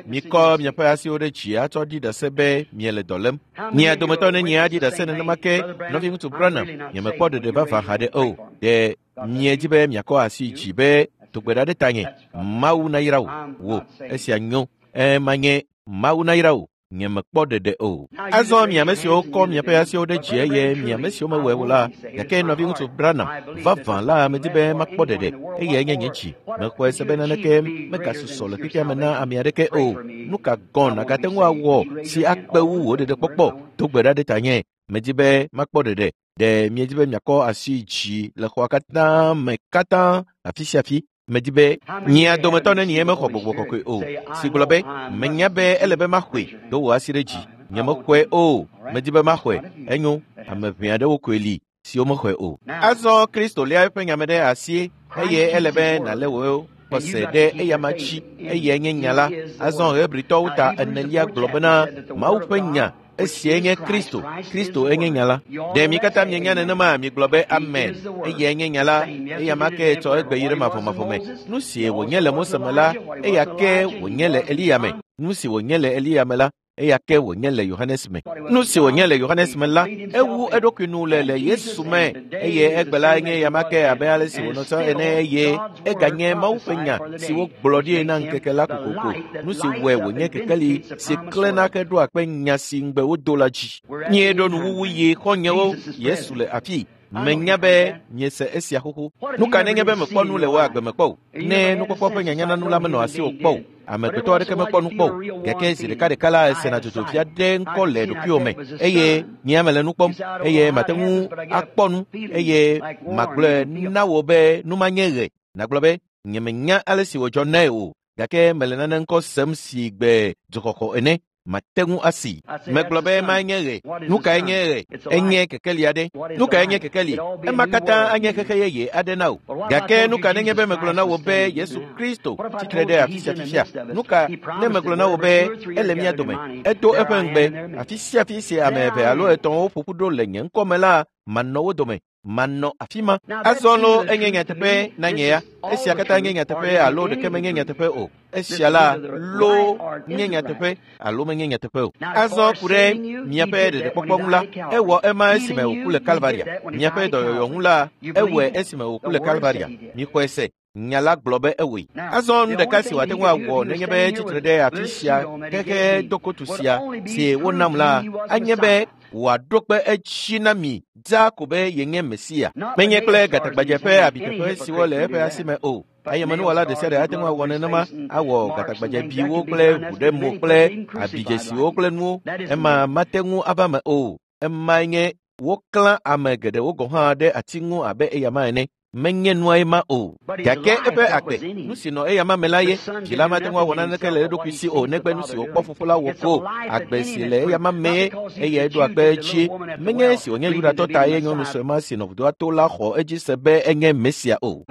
mikɔ miaƒe asiwo ɖe dzi atsɔ ɖi ɖase be miele dɔ lém. Mia dometɔ nenie aɖi ɖase nenema ke nɔviŋutsu Branham, nyemekpɔ ɖeɖe vavã haɖe o. Ɖe miedzi be miakɔ asi dzi be do gbe ɖa ɖe tanye. Mawu nayra wò. Wò, esia nyo. Manye Mawu nayra wò. Nyemekpɔ ɖeɖe o. Azɔ mi ame siwo kɔ miaƒe asiwo ɖe dzi eye mi ame siwo mewɔe o la, gake nɔviŋutsu Branham, vavã la medi be makpɔ ɖeɖe, eyae nye nye dzi. Mexɔe se be naneke megasusɔ le xexea me na ame aɖeke o. Nu ka gɔ̃ nàgate ŋu awɔ si akpe wu wò ɖeɖekpɔkpɔ? Do gbe ɖa ɖe tanye. Medi be makpɔ ɖeɖe. Ɖe miedi be miakɔ asi dzi le xɔa katã me katã afi sia afi? Medi be mia dometɔ nenie mexɔ gbɔgbɔ kɔkɔe o, si gblɔ be menya be ele be maxɔe, do wò asi ɖe dzi. Nyemexɔe o, medi be maxɔe. Enyo, ame ʋɛ aɖewo koe li siwo mexɔe o. Azɔ Kristo lia eƒe nyame ɖe asi eye ele be nàlé wò xɔse ɖe eyama dzi, eyae nye nya la. Azɔ Hebritɔwo ta enelia gblɔ bena Mawu ƒe nya esiae nye Kristo. Kristo enye nya la. Ɖe mi katã mienya nenema migblɔ be amen. Eyae nye nya la. Eyama ke tsɔ egbe yi ɖe mavɔmavɔ me. Nu si wònye le Mose me la, eya ke wònye le Eliya me. Nu si wònye le Eliya me la, eya ke wònye le Yohanes me. Nu si wònye le Yohanes me la, ewu eɖokui nu le Yesu me eye egbe la nye eyama ke abe ale si wònɔ tsã ene eye eganye Mawu ƒe nya si wogblɔ ɖi na ŋkeke la kokoko. Nu si wɔe wònye kekeli si klẽna ke ɖoa kpe nya si ŋugbe wodo la dzi. Míeɖo nuwuwu yi xɔ̃nyewo. Yesu le afi. Menya be miese esia xoxo. Nu ka nenye be mekpɔ nu le wò agbe me kpɔ o? Ne nukpɔkpɔ ƒe nyanyananu la menɔ asiwò kpɔ o, amegbetɔ aɖeke mekpɔ nu kpɔ o. Gake zi ɖekaɖeka la esena dzodzodzi aɖe ŋkɔ le ɖokuiwò me eye nye mele nu kpɔm eye mate ŋu akpɔ nu eye magblɔe na wò be nu manye ɣe. Nàgblɔ be nyemenya ale si wòdzɔ nae o, gake mele nane ŋkɔ sem si gbe dzoxɔxɔ ene. Mate ŋu asi. Megblɔ be manye ɣe. Nu kae nye ɣe? Enye kekeli aɖe. Nu kae nye kekeli? Ema katã anye xexe yeye aɖe na wò. Gake nu ka nenye be megblɔ na wò be Yesu Kristo tsitre ɖe afi sia fifia? Nu ka ne megblɔ na wò be ele mía dome? Edo eƒe ŋugbe. Afi sia afi si ame eve alo etɔ̃wo ƒo ƒu ɖo le nye ŋkɔ me la, manɔ wo dome. Manɔ afi ma. Azɔ lo enye nyateƒe na nye ya. Esia katã nye nyateƒe alo ɖeke menye nyateƒe o. Esia la lo nye nyateƒe alo menye nyateƒe o. Azɔ ku ɖe miaƒe ɖeɖekpɔkpɔ ŋu la, ewɔ ema esime wòku le Kalvaria. Miaƒe dɔyɔyɔ ŋu la, ewɔe esime wòku le Kalvaria. Mixɔe se. Nya la gblɔ be ewɔe. Azɔ nu ɖeka si wòate ŋu awɔ nenye be tsitre ɖe afi sia xexe dokotu sia si wonam la anye be wòaɖo kpe edzi na mi dzaa ko be yenye Mesia. Menye kple gatagbadze ƒe abiteƒe siwo le eƒe asi me o. Ayemenuwɔla ɖe sia ɖe ate ŋu awɔ nenema, awɔ gatagbadzebiwo kple ʋu ɖe mo kple abidzesiwo kple nuwo. Ema mate ŋu ava me o. Emae nye woklã ame geɖewo gɔ̃ hã ɖe ati ŋu abe eyama ene. Menye nuae ma o. Gake eƒe agbe, nu si nɔ eyama me la ye, vi la mate ŋu awɔ naneke le eɖokui si o negbe nu si wòkpɔ fofo la wɔ ko. Agbe si le eyama mee eyae ɖo akpe edzi. Menye esi wònye Yudatɔ ta ye nyɔnu sue ma si nɔ vudoa to la xɔ edzi se be enye Mesia o.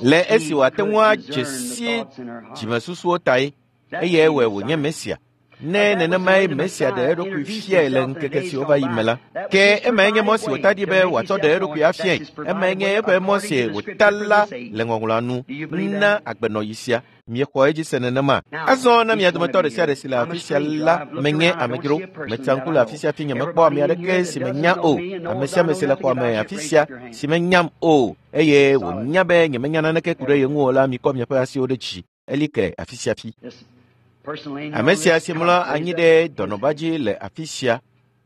Le esi wòate ŋu adze si dzimesusuwo tae, eyae wɔe wònye Mesia. Ne nenemae Mesia ɖe eɖokui fiae le ŋkeke siwo va yi me la, ke emae nye mɔ si wòta ɖi be wòatsɔ ɖe eɖokui afiae. Emae nye eƒe mɔ si wòta la le ŋɔŋlɔa nu na agbenɔɣi sia. Miexɔ edzi se nenema. Azɔ na mia dometɔ ɖe sia ɖe si le afi sia la menye amedzro. Metsa ŋku le afi sia fi nyemekpɔ ame aɖeke si menya o. Ame sia ame si le xɔa me afi sia si menyam o eye wònya be nyemenya naneke ku ɖe ye ŋu o la, mikɔ miaƒe asiwo ɖe dzi. Eli ke afi sia fi. Ame sia si mlɔ anyi ɖe dɔnɔba dzi le afi sia,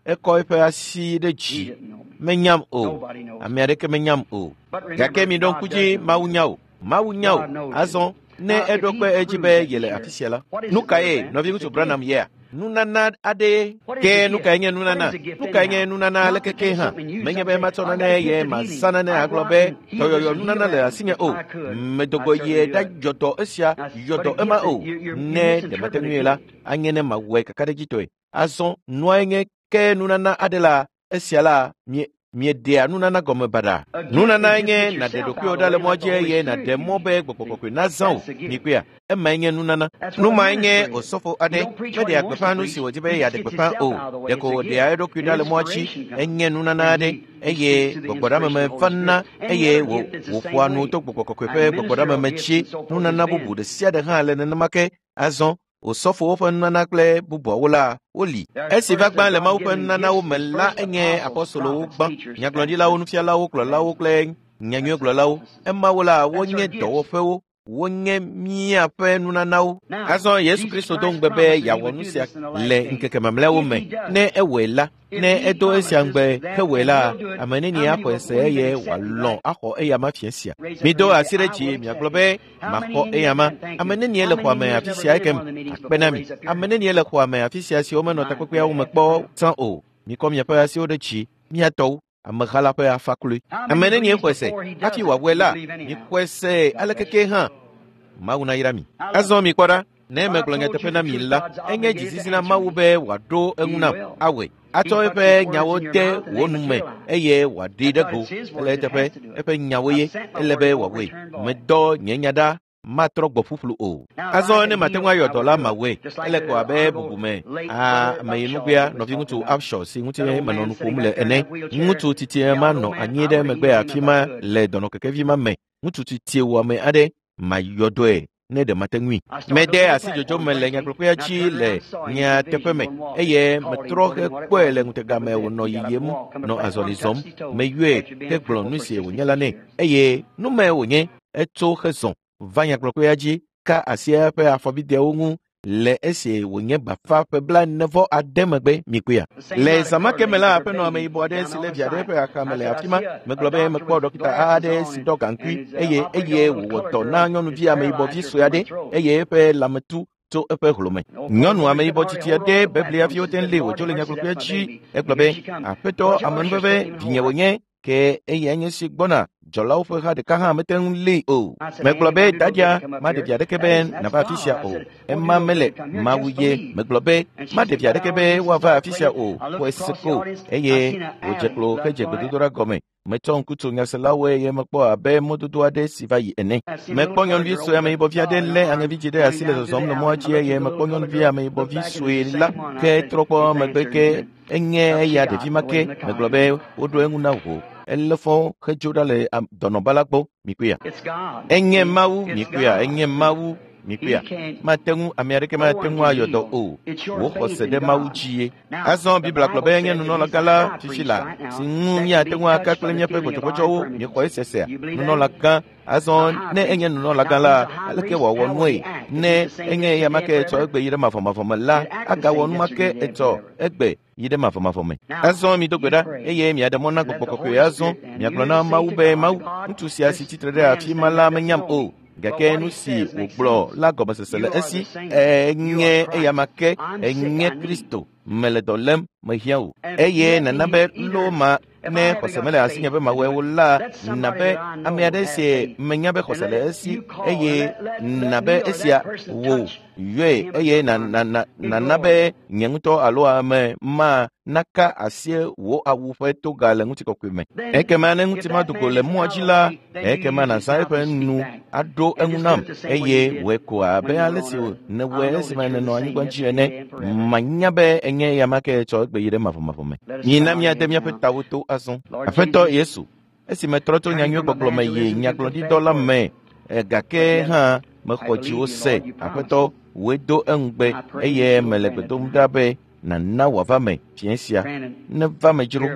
ekɔ eƒe asi ɖe dzi. Menyam o. Ame aɖeke menyam o. Gake miɖo ŋku dzi, Mawu nya o. Mawu nya o. Azɔ ne eɖo kpe edzi be yele afi sia la, nu kae nɔviŋutsu Branham yea? Nunana aɖee. Ke nu kae nye nunana? Nu kae nye nunana aleke ke hã? Menye be matsɔ nane ye mazã nane agblɔ be dɔyɔyɔ nunana le asinye o. Medogo ye ɖayɔ dɔ esia, yɔ dɔ ema o. Ne ɖe mate ŋui la, anye ne mawɔe kakaɖedzitɔe. Azɔ nuae nye ke nunana aɖe la, esia la mieɖea nunana gɔme baɖa. Nunanae nye nàɖe ɖokuiwò ɖa le mɔa dzi eye nàɖe mɔ be gbɔgbɔ kɔkɔe nazã wò. Mikpɔea? Emae nye nunana. Nu mae nye osɔfo aɖe meɖea gbeƒã nu si wòdi be yeaɖe gbeƒã o. Ɖeko wòɖea eɖokui ɖa le mɔa dzi. Enye nunana aɖe eye gbɔgbɔɖameme vana eye wòƒoa nu to gbɔgbɔ kɔkɔe ƒe gbɔgbɔɖameme dzi. Nunana bubu ɖe sia ɖe hã le nenema ke. Azɔ osɔfowo ƒe nunana kple bubuawo la woli. Esi va gbã le Mawu ƒe nunanawo me la enye apɔstolowo gbã, nyagblɔɖilawo, nufialawo, kplɔlawo kple nyanyuiegblɔlawo. Emawo la wonye dɔwɔƒewo, wonye míaƒe nunanawo. Azɔ Yesu Kristo do ŋugbe be yeawɔ nu sia le ŋkeke mamlɛawo me. Ne ewɔe la, ne edo esia ŋugbe hewɔe la, ame nenie axɔe se eye wòalɔ̃ axɔ eyama fiẽ sia. Mido asi ɖe dzi miagblɔ be maxɔ eyama. Ame nenie le xɔa me afi sia ekem akpe na mi. Ame nenie le xɔa me afi sia siwo menɔ takpekpeawo me kpɔ tsã o. Mikɔ miaƒe asiwo ɖe dzi, miatɔwo. Ameha la ƒe afa kloe. Ame nenie xɔe se hafi wòawɔe la, mixɔe se aleke ke hã. Mawu nayra mi. Azɔ mikpɔ ɖa, ne megblɔ nyateƒe na mi la, enye dzizizi na Mawu be wòaɖo eŋu nam awɔe. Atsɔ eƒe nyawo de wò nu me eye wòaɖee ɖe go. Ele eteƒe, eƒe nyawo ye, ele be wòawɔe. Medɔ nye nya ɖa, matrɔ gbɔ ƒuƒlu o. Azɔ ne mate ŋu ayɔ dɔ la mawɔe. Ele ko abe bubume ameyinugbea nɔviŋutsu Upshaw si ŋuti menɔ nu ƒom le ene. Ŋutsu titie ma nɔ anyi ɖe megbe afi ma le dɔnɔkekevi ma me. Ŋutsu titie wɔame aɖe mayɔ dɔe ne ɖe mate ŋui. Mede asi dzodzo me le nyagblɔƒea dzi le nyateƒe me eye metrɔ hekpɔe le ŋutega me wònɔ yiyim nɔ azɔli zɔm. Meyɔe hegblɔ nu si wònye la nɛ eye nu mae wònye. Etso hezɔ va nyagblɔƒea dzi ka asi eƒe afɔbideawo ŋu le esi wònye bafa ƒe 49 megbe. Mikpɔea? Le zã ke me la, aƒenɔ ameyibɔ aɖe si le via ɖe eƒe axame le afi ma. Megblɔ be mekpɔ ɖɔkita aɖe si ɖɔ gaŋkui eye wòwɔ dɔ na nyɔnuvi ameyibɔ vi sue aɖe eye eƒe lãmetu tso eƒe hlome. Nyɔnu ameyibɔ tsitsi aɖe beblia viwo te lé wòdzo le nyagblɔƒea dzi. Egblɔ be, aƒetɔ amenuveve, vinye wònye, ke eyae nye si gbɔna. Dzɔlawo ƒe ha ɖeka hã mete ŋu lée o. Megblɔ be dadia maɖe vi aɖeke be nava afi sia o. Ema mele Mawu ye. Megblɔ be maɖe vi aɖeke be woava afi sia o. Xɔe se ko eye wòdze klo hedze gbedodoɖa gɔme. Metsɔ ŋku tso nyaselawo eye mekpɔ abe mɔdodo aɖe si va yi ene. Mekpɔ nyɔnuvi sue ameyibɔvi aɖe lé aŋevidzi ɖe asi le zɔzɔm le mɔa dzi eye mekpɔ nyɔnuvi ameyibɔvi sue la ke trɔ kpɔ megbe ke enye eya ɖevi ma ke. Megblɔ be woɖo eŋu na wò. Elé fɔ hedzo ɖa le dɔnɔba la gbɔ. Mikpɔea? Enye Mawu. Mikpɔea? Enye Mawu. Mikpɔea? Mate ŋu, ame aɖeke mate ŋu ayɔ dɔ o. Wò xɔse ɖe Mawu dzi ye. Azɔ Biblia gblɔ be enye nunɔlagã la fifi la, si ŋu míate ŋu aka kple míaƒe gbɔdzɔgbɔdzɔwo. Miexɔ esesea? Nunɔlagã. Azɔ ne enye nunɔlagã la, aleke wòawɔ nue? Ne enye eyama ke etsɔ egbe yi ɖe mavɔmavɔ me la, agawɔ numa ke etsɔ egbe yi ɖe mavɔmavɔ me. Azɔ mido gbe ɖa eye miaɖe mɔ na Gbɔgbɔ Kɔkɔe. Azɔ miagblɔ na Mawu be, Mawu, ŋutsu sia si tsitre ɖe afi ma la menyam o, gake nu si wògblɔ la gɔmesese le esi. Enye eyama ke, enye Kristo. Mele dɔ lém, mehiã wò. Eye nana be lo ma ne xɔse mele asinye be mawɔe o la, na be ame aɖe si menya be xɔse le esi eye na be esia wò yɔe eye nana be nye ŋutɔ alo ame ma naka asi wò awu ƒe toga le ŋutikɔkɔe me. Ekema ne ŋuti ma do go le mɔa dzi la, ekema nàzã eƒe nu aɖo eŋu nam eye wòe ko abe ale si nèwɔe esime nènɔ anyigba dzi ene. Manya be enye eyama ke tsɔ egbe yi ɖe mavɔmavɔ me. Mina míade míaƒe tawo to azɔ. Aƒetɔ Yesu, esi metrɔ tso nyanyuigbɔgblɔ me yi nyagblɔɖidɔ la me, gake hã mexɔ dziwò se. Aƒetɔ, wòe do eŋugbe eye mele gbe dom ɖa be nàna wòava me fiẽ sia. Neva me dzro,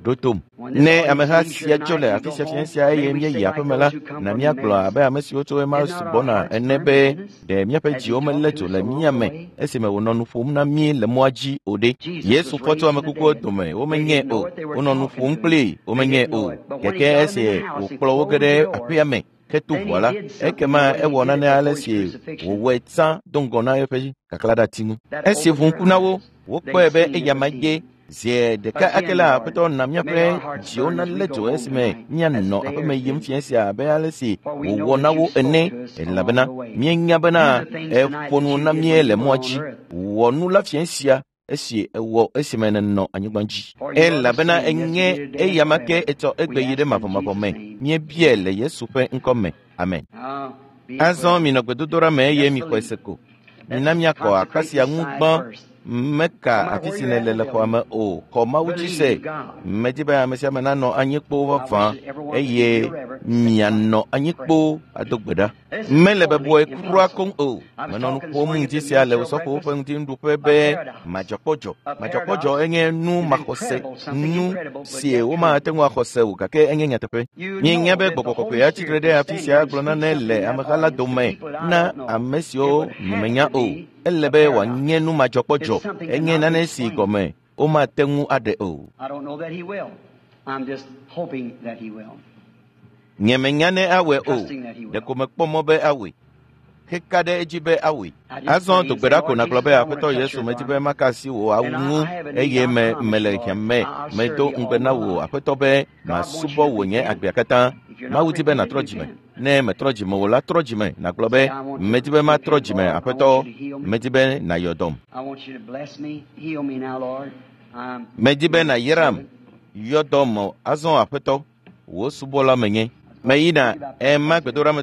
ɖo tom. Ne ameha sia dzo le afi sia fiẽ sia eye míeyi aƒeme la, na míagblɔ abe ame siwo tso Emmaus gbɔna ene be ɖe míaƒe dziwo melé dzo le mía me esime wònɔ nu ƒom na mí le mɔa dzi o ɖe. Yesu fɔ tso ame kukuwo dome, womenyae o. Wonɔ nu ƒom kplii, womenyae o. Gake esi wòkplɔ wo ge ɖe aƒea me heto ʋɔa la, ekema ewɔ nane ale si wòwɔe tsã do ŋgɔ na eƒe kaklaɖati ŋu. Esi ʋu ŋku na wo, wokpɔe be eyama ye. Zi ɖeka ake la, Aƒetɔ na míaƒe dziwo nalé dzo esime míanɔ aƒeme yim fiẽ sia abe ale si wòwɔ na wo ene, elabena míenya bena eƒo nu na mí le mɔa dzi. Wɔ nu la fiẽ sia esi ewɔ esime nènɔ anyigba dzi. Elabena enye eyama ke etsɔ egbe yi ɖe mavɔmavɔ me. Míebiae le Yesu ƒe ŋkɔ me. Amen. Azɔ minɔ gbedodoɖa me eye mixɔe se ko. Mina míakɔ akpa sia ŋu gbã. Meka afi si nèle le xɔa me o. Xɔ Mawu dzi se. Medi be ame sia ame nanɔ anyi kpoo vavã eye mianɔ anyi kpoo ado gbe ɖa. Mele bɔbɔe kura koŋ o. Menɔ nu ƒom ŋdi sia le Osɔfowo ƒe ŋutinuɖuƒe be madzɔkpɔdzɔ. Madzɔkpɔdzɔ enye nu maxɔse, nu si womate ŋu axɔ se o gake enye nyateƒe. Míenya be Gbɔgbɔ Kɔkɔea tsitre ɖe afi sia gblɔ nane le ameha la dome na ame siwo nyemenya o. Ele be wòanye nu madzɔkpɔdzɔ, enye nane si gɔme womate ŋu aɖe o. Nyemenya ne awɔe o, ɖeko mekpɔ mɔ be awɔe. Heka ɖe edzi be awɔe. Azɔ do gbe ɖa ko nàgblɔ be, Aƒetɔ Yesu, medi be maka asi wò awu ŋu eye me mele hiã me. Medo ŋugbe na wò, Aƒetɔ, be masubɔ wò nye agbea katã. Mawu di be nàtrɔ dzime. Ne metrɔ dzime o la, trɔ dzime nàgblɔ be, medi be matrɔ dzime, Aƒetɔ, medi be nàyɔ dɔm. Medi be nàyram, yɔ dɔm azɔ, Aƒetɔ, wò subɔla menye. Meyina ema gbedoɖa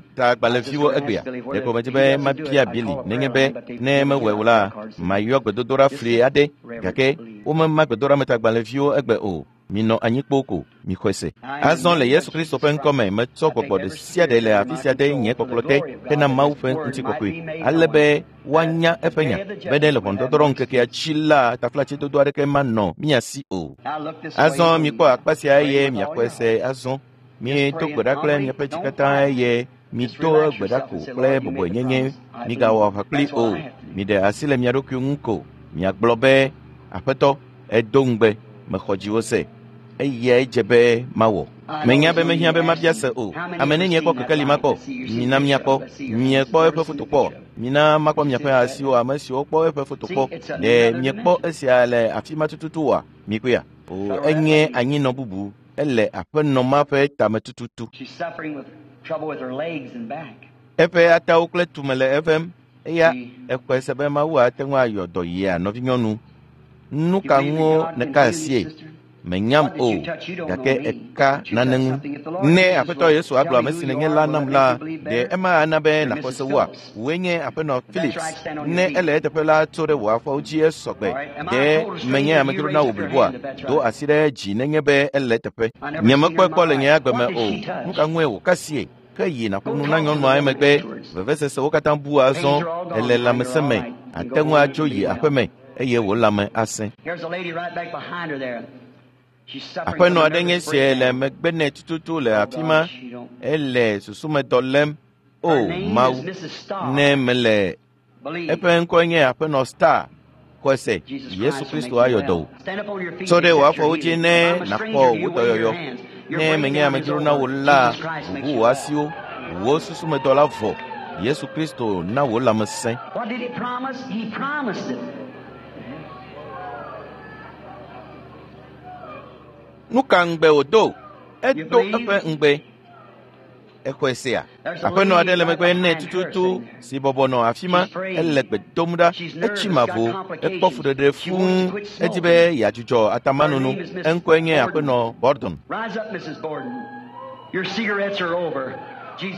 egbea. Ɖeko medi be mabia Bili nenye be ne mewɔe o la, mayɔ gbedodoɖa fli aɖe gake womema gbedoɖametagbalẽviwo egbe o. Minɔ anyi kpoo ko, mixɔe se. Azɔ le Yesu Kristo ƒe ŋkɔ me, metsɔ gbɔgbɔ ɖe sia ɖe le afi sia de nye kpɔkplɔ te hena Mawu ƒe ŋutikɔkɔe, ale be woanya eƒe nya be ne le ʋɔnudɔdrɔ̃ ŋkekea dzi la, taflatsedodo aɖeke manɔ mía si o. Azɔ mikpɔ akpa sia eye miaxɔe se azɔ. Miedo gbe ɖa kple miaƒe dzi katã eye mido gbe ɖa ko kple bɔbɔenyenye. Migawɔ aʋa kpli o. Miɖe asi le mia ɖokui ŋu ko. Miagblɔ be, Aƒetɔ, edo ŋugbe, mexɔ dziwò se. Eyae dze be mawɔ. Menya be mehiã be mabia se o. Ame nenie kpɔ kekeli makpɔ? Mina míakpɔ. Miekpɔ eƒe foto kpɔ? Mina makpɔ miaƒe asiwo, ame siwo kpɔ eƒe foto kpɔ. Ɖe miekpɔ esia le afi ma tututu oa? Mikpɔea? O, enye anyinɔ bubu. Ele aƒenɔ ma ƒe tame tututu. Eƒe atawo kple tume le evem. Eya exɔe se be Mawu ate ŋu ayɔ dɔ yia nɔvinyɔnu. Nu ka ŋuwo nèka asie? Menyam o, gake eka nane ŋu. Ne Aƒetɔ Yesu agblɔ ame si nènye la nam la, ɖe ema ana be nàxɔ se woa? Wòe nye Aƒenɔ Philips. Ne ele eteƒe la tso ɖe wò afɔwo dzi esɔgbe. Ɖe menye amedzro na wò bliboa? Do asi ɖe dzi nenye be ele eteƒe. Nyemekpɔe kpɔ le nye agbe me o. Nu ka ŋue wòka asie? Ke yi nàƒo nu na nyɔnua emegbe. Vevesesewo katã bu azɔ. Ele lãmesẽ me. Ate ŋu adzo yi aƒeme eye wò lãme asẽ. Aƒenɔ aɖe nye sie le megbe nɛ tututu le afi ma. Ele susumedɔ lém. O Mawu, ne mele eƒe ŋkɔe nye Aƒenɔ Star. Xɔe se, Yesu Kristo ayɔ dɔ wò. Tso ɖe wò afɔwo dzi ne nàxɔ wò dɔyɔyɔ. Ne menye amedzro na wò la, ʋuʋu wò asiwo, wò susumedɔ la vɔ. Yesu Kristo na wò lãmesẽ. Nu ka ŋugbe wòdo? Edo eƒe ŋugbe. Exɔe sea? Aƒenɔ aɖe le megbe nɛ tututu si bɔbɔ nɔ afi ma. Ele gbe dom ɖa. Etsi mavo. Ekpɔ fuɖeɖe fũu. Edi be yeadzudzɔ atamanono. Eŋkɔe nye Aƒenɔ Bordon.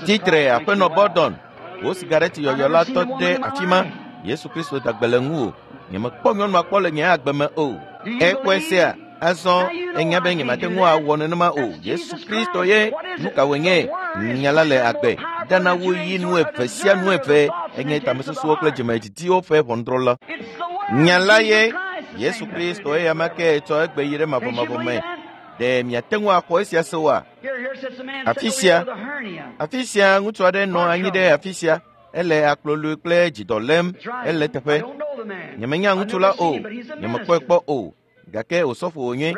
Tsitre Aƒenɔ Bordon. Wò sigareti yɔyɔ la tɔ ɖe afi ma. Yesu Kristo da gbe le ŋuwò. Nyemekpɔ nyɔnua kpɔ le nye agbe me o. Exɔe sea? Azɔ enya be nyemate ŋu awɔ nenema o. Yesu Kristo ye. Nu ka wònye? Nya la le agbe. Dana wu yi nu eve sia nu eve. Enye tamesusuwo kple dzimedidiwo ƒe ʋɔnudrɔ̃la. Nya la ye. Yesu Kristo eya ma ke tsɔ egbe yi ɖe mavɔmavɔ me. Ɖe miate ŋu axɔ esia se oa? Afi sia, afi sia ŋutsu aɖe nɔ anyi ɖe afi sia. Ele akplɔlui kple dzidɔ lém. Ele teƒe. Nyemenya ŋutsu la o. Nyemekpɔe kpɔ o. Gake osɔfo wònye,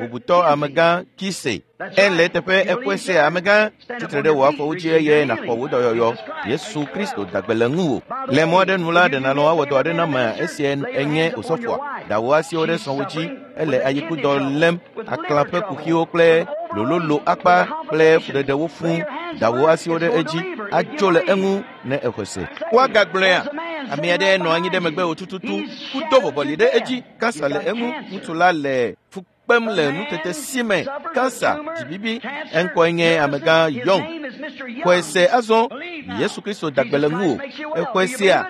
bubutɔ amegã Kise. Ele teƒe eƒe se amegã, tsitre ɖe wò afɔwo dzi eye nàxɔ wò dɔyɔyɔ. Yesu Kristo da gbe le ŋuwò. Le mɔ aɖe nu la, ɖe nàlɔ̃ awɔ dɔ aɖe na amea esia enye osɔfoa. Da wò asiwo ɖe srɔ̃wò dzi. Ele ayikudɔ lém, aklã ƒe kuxiwo kple lololo akpa kple fuɖeɖewo fũu. Da wò asiwo ɖe edzi, atso le eŋu ne exɔe se. Woagagblɔea? Ame aɖe nɔ anyi ɖe megbe wò tututu, kudo vɔvɔli ɖe edzi, kansa le eŋu, ŋutsu la le fu kpem le nutete si me, kansa, dzibibi, eŋkɔe nye amegã Young. Xɔe se azɔ, Yesu Kristo da gbe le ŋuwò. Exɔe sea?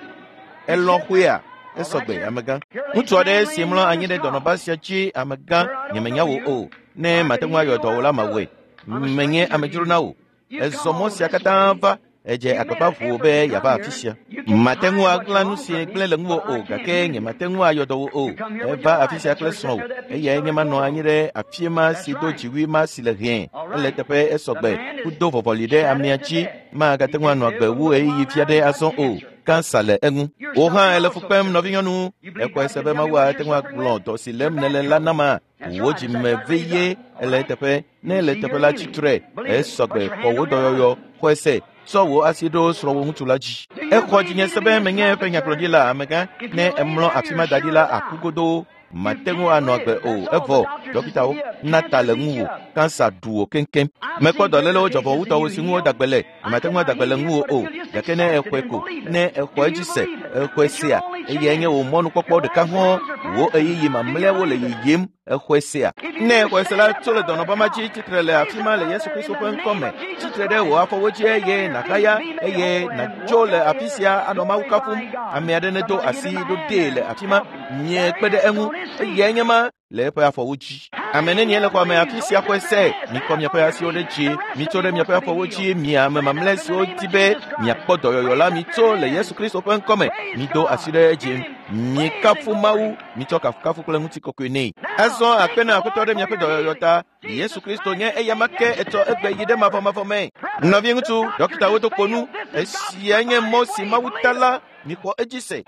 Elɔ̃ xɔea? Esɔgbe, amegã. Ŋutsu aɖe si mlɔ anyi ɖe dɔnɔba sia dzi, amegã, nyemenya wò o. Ne mate ŋu ayɔ dɔ wò la, mawɔe. Menye amedzro na wò. Ezɔ mɔ sia katã va. Edze agbagba ʋu be yeava afi sia. Mate ŋu aɣla nu si gblẽ le ŋuwò o, gake nyemate ŋu ayɔ dɔ wò o. Eva afi sia kple srɔ̃wò. Eyae nye manɔ anyi ɖe afi ma si do dziwui ma si le hɛ̃. Ele teƒe esɔgbe. Kudo vɔvɔli ɖe amea dzi. Magate ŋu anɔ agbe wu ɣeyiɣi vi aɖe azɔ o. Kansa le eŋu. Wò hã èle fu kpem, nɔvinyɔnu. Exɔe se be Mawu ate ŋu agblɔ dɔ si lém nèle la nama. Wò dzime veye ele teƒe. Ne ele teƒe la tsitre. Esɔgbe xɔ wò dɔyɔyɔ. Xɔe se. Tsɔ wò asi ɖo srɔ̃wò ŋutsu la dzi. Exɔ dzinye se be menye eƒe nyagblɔɖila amegã. Ne emlɔ afi ma da ɖi la, aku godoo. Mate ŋu anɔ agbe o. Evɔ, dɔkitawo na ta le ŋuwò. Kansa ɖu wò keŋkeŋ. Mekpɔ dɔlélewo dzɔvɔwutɔwo si ŋu woda gbe le. Mate ŋu ada gbe le ŋuwò o. Gake ne exɔe ko, ne exɔ edzi se, exɔe sea, eyae nye wò mɔnukpɔkpɔ ɖeka hɔ̃. Wò ɣeyiɣi mamlɛawo le yiyim. Exɔe sea. Ne exɔe se la, tso le dɔnɔba ma dzi tsitre le afi ma le Yesu Kristo ƒe ŋkɔ me. Tsitre ɖe wò afɔwo dzi eye nàhaya eye nàtso le afi sia anɔ Mawu kafum. Ame aɖe nedo asi ɖo ɖee le afi ma. Nye kpe ɖe eŋu. Eyae nye ma le eƒe afɔwo dzi. Ame nenie le xɔa me afi sia xɔe se? Mikɔ miaƒe asiwo ɖe dzi. Mitso ɖe miaƒe afɔwo dzi. Mi ame mamlɛ siwo di be miakpɔ dɔyɔyɔ la, mitso le Yesu Kristo ƒe ŋkɔ me. Mido asi ɖe edzi. Mikafu Mawu. Mitsɔ kafukafu kple ŋutikɔkɔe nɛ. Azɔ akpe na Aƒetɔ ɖe miaƒe dɔyɔyɔ ta. Yesu Kristo nye eyama ke etsɔ egbe yi ɖe mavɔmavɔ me. Nɔviŋutsu, dɔkitawo do kpo nu. Esia nye mɔ si Mawu ta la. Mixɔ edzi se.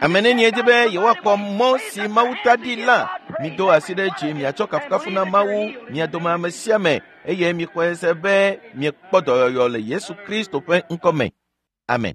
Ame nenie di be yewoakpɔ mɔ si Mawu ta ɖi la? Mido asi ɖe dzi miatsɔ kafukafu na Mawu mia dome ame sia ame eye mixɔe se be miekpɔ dɔyɔyɔ le Yesu Kristo ƒe ŋkɔ me. Amen.